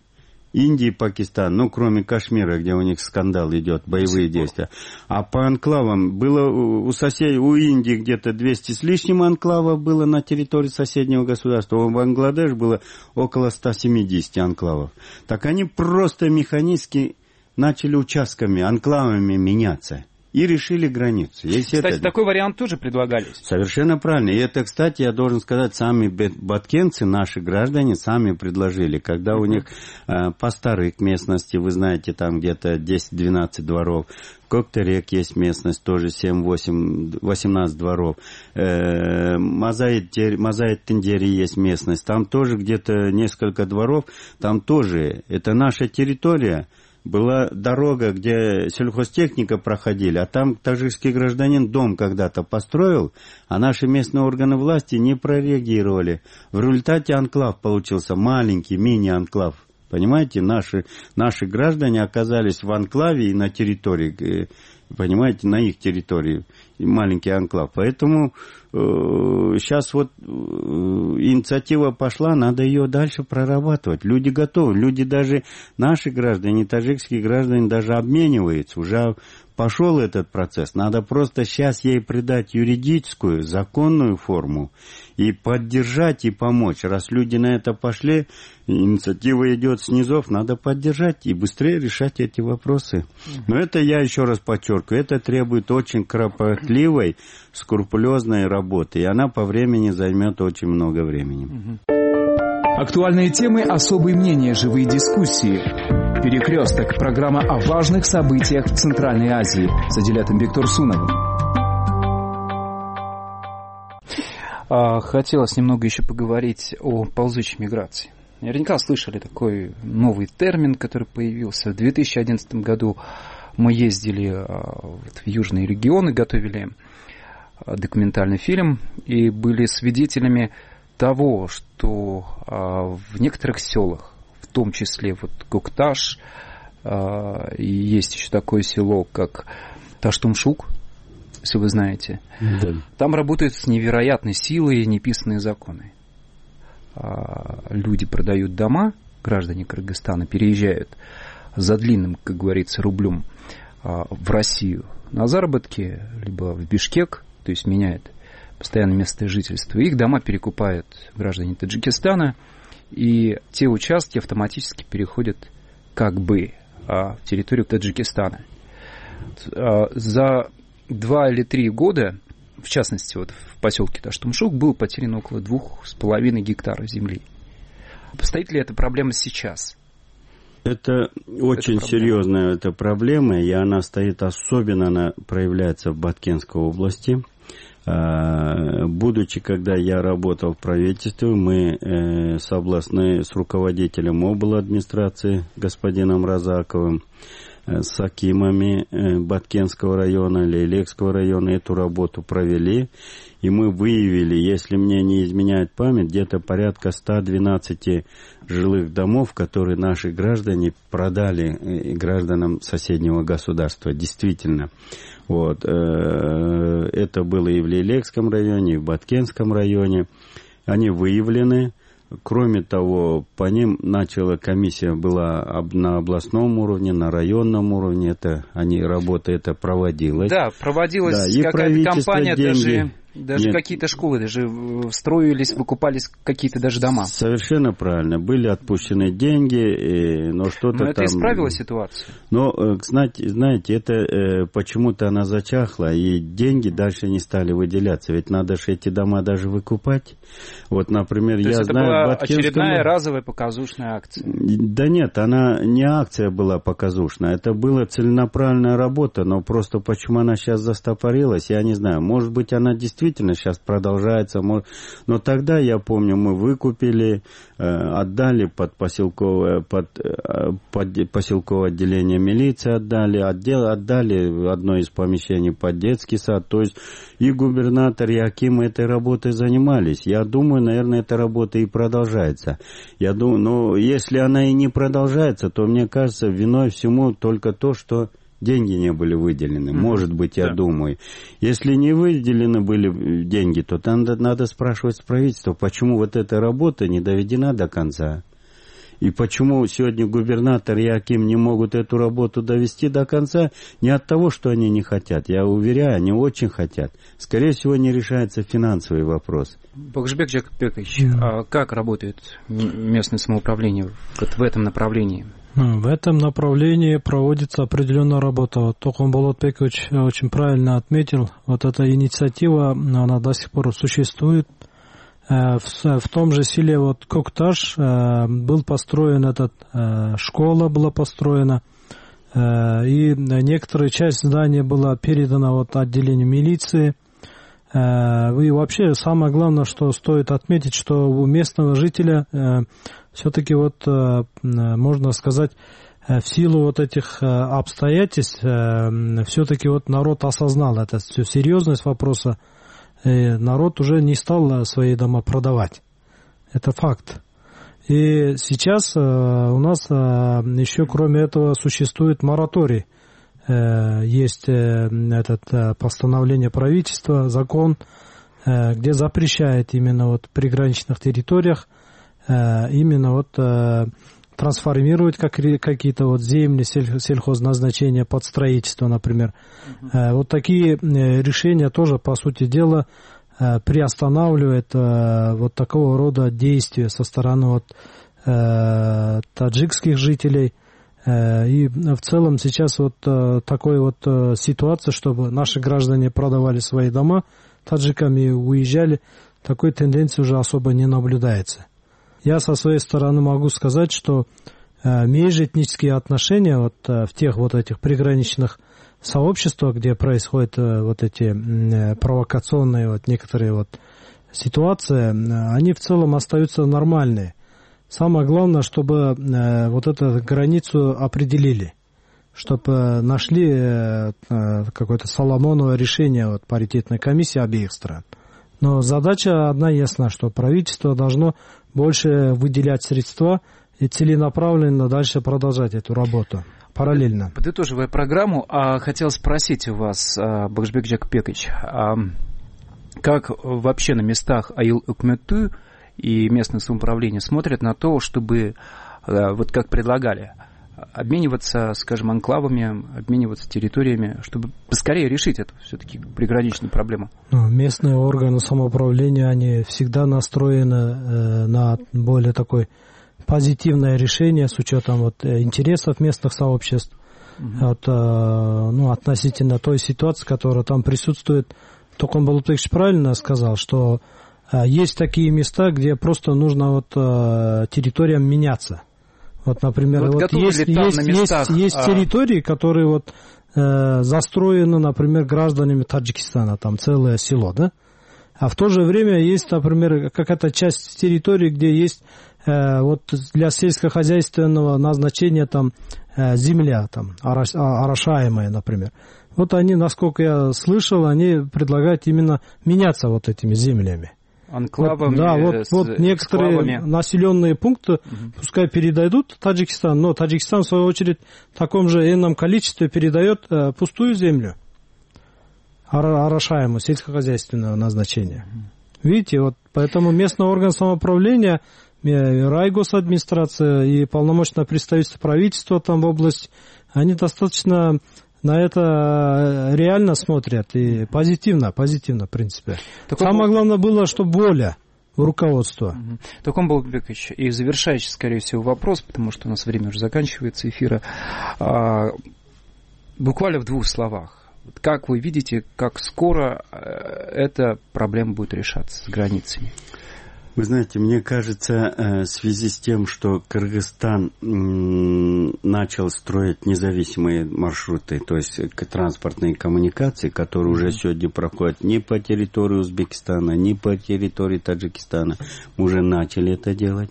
Пакистан, ну, кроме Кашмира, где у них скандал идет, боевые действия. А по анклавам было у Индии где-то 200 с лишним анклавов было на территории соседнего государства. У Бангладеш было около 170 анклавов. Так они просто механически начали участками, анклавами меняться. И решили границу. Кстати, такой вариант тоже предлагались. Совершенно правильно. И это, кстати, я должен сказать, сами баткенцы, наши граждане, сами предложили. Когда у них по старой местности, вы знаете, там где-то 10-12 дворов. Коктерек есть местность, тоже 7-8-18 дворов. Мазаит-Тендери есть местность. Там тоже где-то несколько дворов. Там тоже, это наша территория. Была дорога, где сельхозтехника проходили, а там таджикский гражданин дом когда-то построил, а наши местные органы власти не прореагировали. В результате анклав получился, маленький мини-анклав Понимаете, наши граждане оказались в анклаве и на территории, понимаете, на их территории, маленький анклав. Поэтому сейчас вот инициатива пошла, надо ее дальше прорабатывать. Люди готовы, люди даже, наши граждане, таджикские граждане даже обмениваются, уже пошел этот процесс. Надо просто сейчас ей придать юридическую, законную форму и поддержать и помочь. Раз люди на это пошли, инициатива идет снизов, надо поддержать и быстрее решать эти вопросы. Но это, я еще раз подчеркиваю, это требует очень кропотливой, скрупулезной работы, и она по времени займет очень много времени. Актуальные темы, особые мнения, живые дискуссии. «Перекресток» – программа о важных событиях в Центральной Азии с Адилятом Бектурсуновым. Хотелось немного еще поговорить о ползучей миграции. Наверняка слышали такой новый термин, который появился. В 2011 году мы ездили в южные регионы, готовили документальный фильм и были свидетелями того, что в некоторых селах, в том числе вот Кокташ, и есть еще такое село, как Таштумшук, если вы знаете, да. Там работают с невероятной силой неписанные законы. Люди продают дома, граждане Кыргызстана переезжают за длинным, как говорится, рублем в Россию на заработки, либо в Бишкек, то есть меняют постоянное место жительства. Их дома перекупают граждане Таджикистана, и те участки автоматически переходят как бы в территорию Таджикистана. За 2 или 3 года, в частности, вот в поселке Таштумшук, было потеряно около 2,5 гектара земли. Стоит ли эта проблема сейчас? Это очень серьезная проблема, и она стоит особенно, она проявляется в Баткенской области. Будучи, когда я работал в правительстве, мы с руководителем обладминистрации господином Разаковым, с акимами Баткенского района, Лейлекского района эту работу провели. И мы выявили, если мне не изменяет память, где-то порядка 112 жилых домов, которые наши граждане продали гражданам соседнего государства. Действительно. Вот. Это было и в Лейлекском районе, и в Баткенском районе. Они выявлены. Кроме того, по ним комиссия была на областном уровне, на районном уровне. Работа эта проводилась. Да, проводилась, да, какая-то кампания, даже какие-то школы даже строились, выкупались какие-то даже дома. Совершенно правильно. Были отпущены деньги, но что-то это там... исправило ситуацию? Но, знаете, это почему-то она зачахла, и деньги дальше не стали выделяться. Ведь надо же эти дома даже выкупать. Вот, например, то я есть знаю... это была очередная разовая показушная акция? Да нет, она не акция была показушная. Это была целенаправленная работа, но просто почему она сейчас застопорилась, я не знаю. Может быть, она действительно сейчас продолжается. Но тогда, я помню, мы выкупили, отдали под поселковое отделение милиции, отдали одно из помещений под детский сад. То есть и губернатор, и акимы этой работой занимались. Я думаю, наверное, эта работа и продолжается. Я думаю, но если она и не продолжается, то, мне кажется, виной всему только то, что деньги не были выделены. Может быть, я думаю. Если не выделены были деньги, то надо спрашивать с правительства, почему вот эта работа не доведена до конца. И почему сегодня губернатор и аким не могут эту работу довести до конца? Не от того, что они не хотят. Я уверяю, они очень хотят. Скорее всего, не решается финансовый вопрос. Бакшбек Жакбекович, а как работает местное самоуправление в этом направлении? В этом направлении проводится определенная работа. Вот Токон Болотбекович очень правильно отметил. Вот эта инициатива, она до сих пор существует. В том же селе вот Кокташ был построен школа была построена, и некоторая часть здания была передана вот отделению милиции. И вообще самое главное, что стоит отметить, что у местного жителя все-таки вот можно сказать, в силу вот этих обстоятельств все-таки вот народ осознал всю серьезность вопроса. Народ уже не стал свои дома продавать. Это факт. И сейчас у нас еще кроме этого существует мораторий. Есть это постановление правительства, закон, где запрещает именно вот в приграничных территориях именно вот трансформировать какие-то вот земли сельхозназначения под строительство, например. Вот такие решения тоже, по сути дела, приостанавливают вот такого рода действия со стороны вот таджикских жителей. И в целом сейчас вот такой вот ситуация, чтобы наши граждане продавали свои дома таджикам и уезжали, такой тенденции уже особо не наблюдается. Я со своей стороны могу сказать, что межэтнические отношения вот в тех вот этих приграничных сообществах, где происходят вот эти провокационные вот некоторые вот ситуации, они в целом остаются нормальные. Самое главное, чтобы вот эту границу определили, чтобы нашли какое-то соломоново решение вот паритетной комиссии обеих стран. Но задача одна ясна, что правительство должно больше выделять средства и целенаправленно дальше продолжать эту работу параллельно. Подытоживая программу, хотел спросить у вас, Багышбек Жакупбекович, как вообще на местах айыл өкмөтү и местное самоуправление смотрят на то, чтобы, вот как предлагали, обмениваться, скажем, анклавами, обмениваться территориями, чтобы поскорее решить эту все-таки приграничную проблему? Местные органы самоуправления, они всегда настроены на более такое позитивное решение с учетом вот интересов местных сообществ, вот, относительно той ситуации, которая там присутствует. Токон Балутбекович правильно сказал, что есть такие места, где просто нужно вот территориям меняться. Вот, например, вот есть территории, которые вот застроены, например, гражданами Таджикистана, там целое село, да? А в то же время есть, например, какая-то часть территории, где есть вот для сельскохозяйственного назначения там земля, там орошаемая, например. Вот они, насколько я слышал, они предлагают именно меняться вот этими землями. Анклавами, вот некоторые населенные пункты пускай передадут Таджикистан, но Таджикистан, в свою очередь, в таком же энном количестве передает пустую землю, орошаемую, сельскохозяйственного назначения. Видите, вот поэтому местный орган самоуправления, райгосадминистрация и полномочное представительство правительства там в области, они достаточно на это реально смотрят и позитивно, в принципе. Самое главное было, чтобы воля у руководства. Токон Балутбекович, и завершающий, скорее всего, вопрос, потому что у нас время уже заканчивается эфира. Буквально в 2 словах. Как вы видите, как скоро эта проблема будет решаться с границами? Вы знаете, мне кажется, в связи с тем, что Кыргызстан начал строить независимые маршруты, то есть транспортные коммуникации, которые уже сегодня проходят не по территории Узбекистана, не по территории Таджикистана, мы уже начали это делать.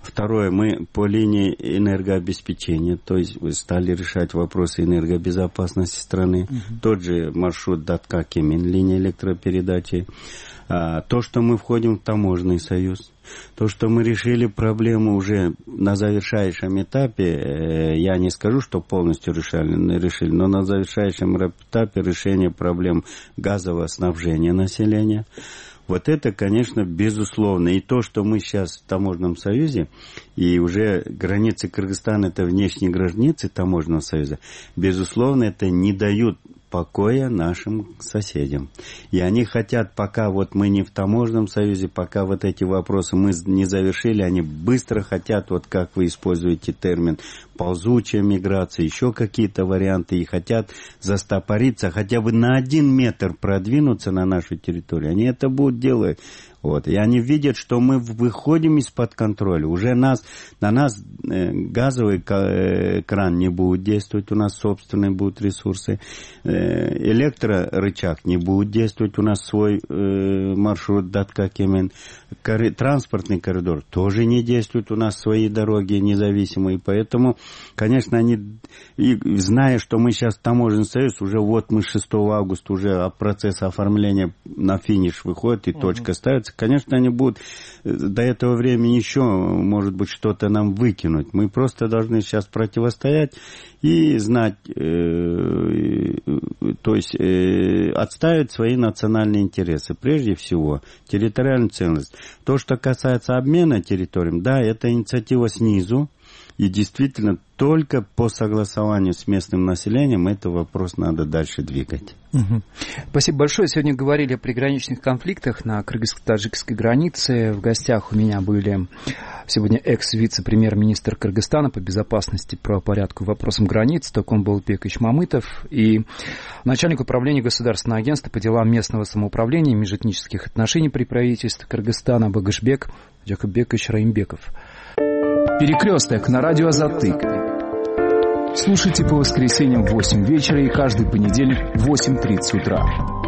Второе, мы по линии энергообеспечения, то есть стали решать вопросы энергобезопасности страны. Тот же маршрут Датка-Кемин, линия электропередачи. То, что мы входим в таможенный союз, то, что мы решили проблему уже на завершающем этапе, я не скажу, что полностью решили, но на завершающем этапе решения проблем газового снабжения населения. Вот это, конечно, безусловно. И то, что мы сейчас в таможенном союзе, и уже границы Кыргызстана, это внешние границы таможенного союза, безусловно, это не дают покоя нашим соседям. И они хотят, пока вот мы не в таможенном союзе, пока вот эти вопросы мы не завершили, они быстро хотят, вот как вы используете термин, ползучая миграция, еще какие-то варианты, и хотят застопориться, хотя бы на 1 метр продвинуться на нашу территорию. Они это будут делать. Вот. И они видят, что мы выходим из-под контроля. Уже на нас газовый кран не будет действовать, у нас собственные будут ресурсы. Электрорычаг не будет действовать, у нас свой маршрут Датка-Кемин. транспортный коридор тоже не действует, у нас свои дороги независимые, поэтому, конечно, они, и зная, что мы сейчас таможенный союз, уже вот мы 6 августа уже процесс оформления на финиш выходит и точка ставится, конечно, они будут до этого времени еще, может быть, что-то нам выкинуть. Мы просто должны сейчас противостоять и знать, то есть отстаивать свои национальные интересы. Прежде всего, территориальную целостность. То, что касается обмена территориями, да, это инициатива снизу. И действительно, только по согласованию с местным населением этот вопрос надо дальше двигать. Спасибо большое. Сегодня говорили о приграничных конфликтах на кыргызско-таджикской границе. В гостях у меня были сегодня экс-вице-премьер-министр Кыргызстана по безопасности, правопорядку и вопросам границ Токон Болотбекович Мамытов и начальник управления Государственного агентства по делам местного самоуправления и межэтнических отношений при правительстве Кыргызстана Багышбек Жакупбекович Раимбеков. Перекресток на радио «Азаттык». Слушайте по воскресеньям в 8 вечера и каждый понедельник в 8:30 утра.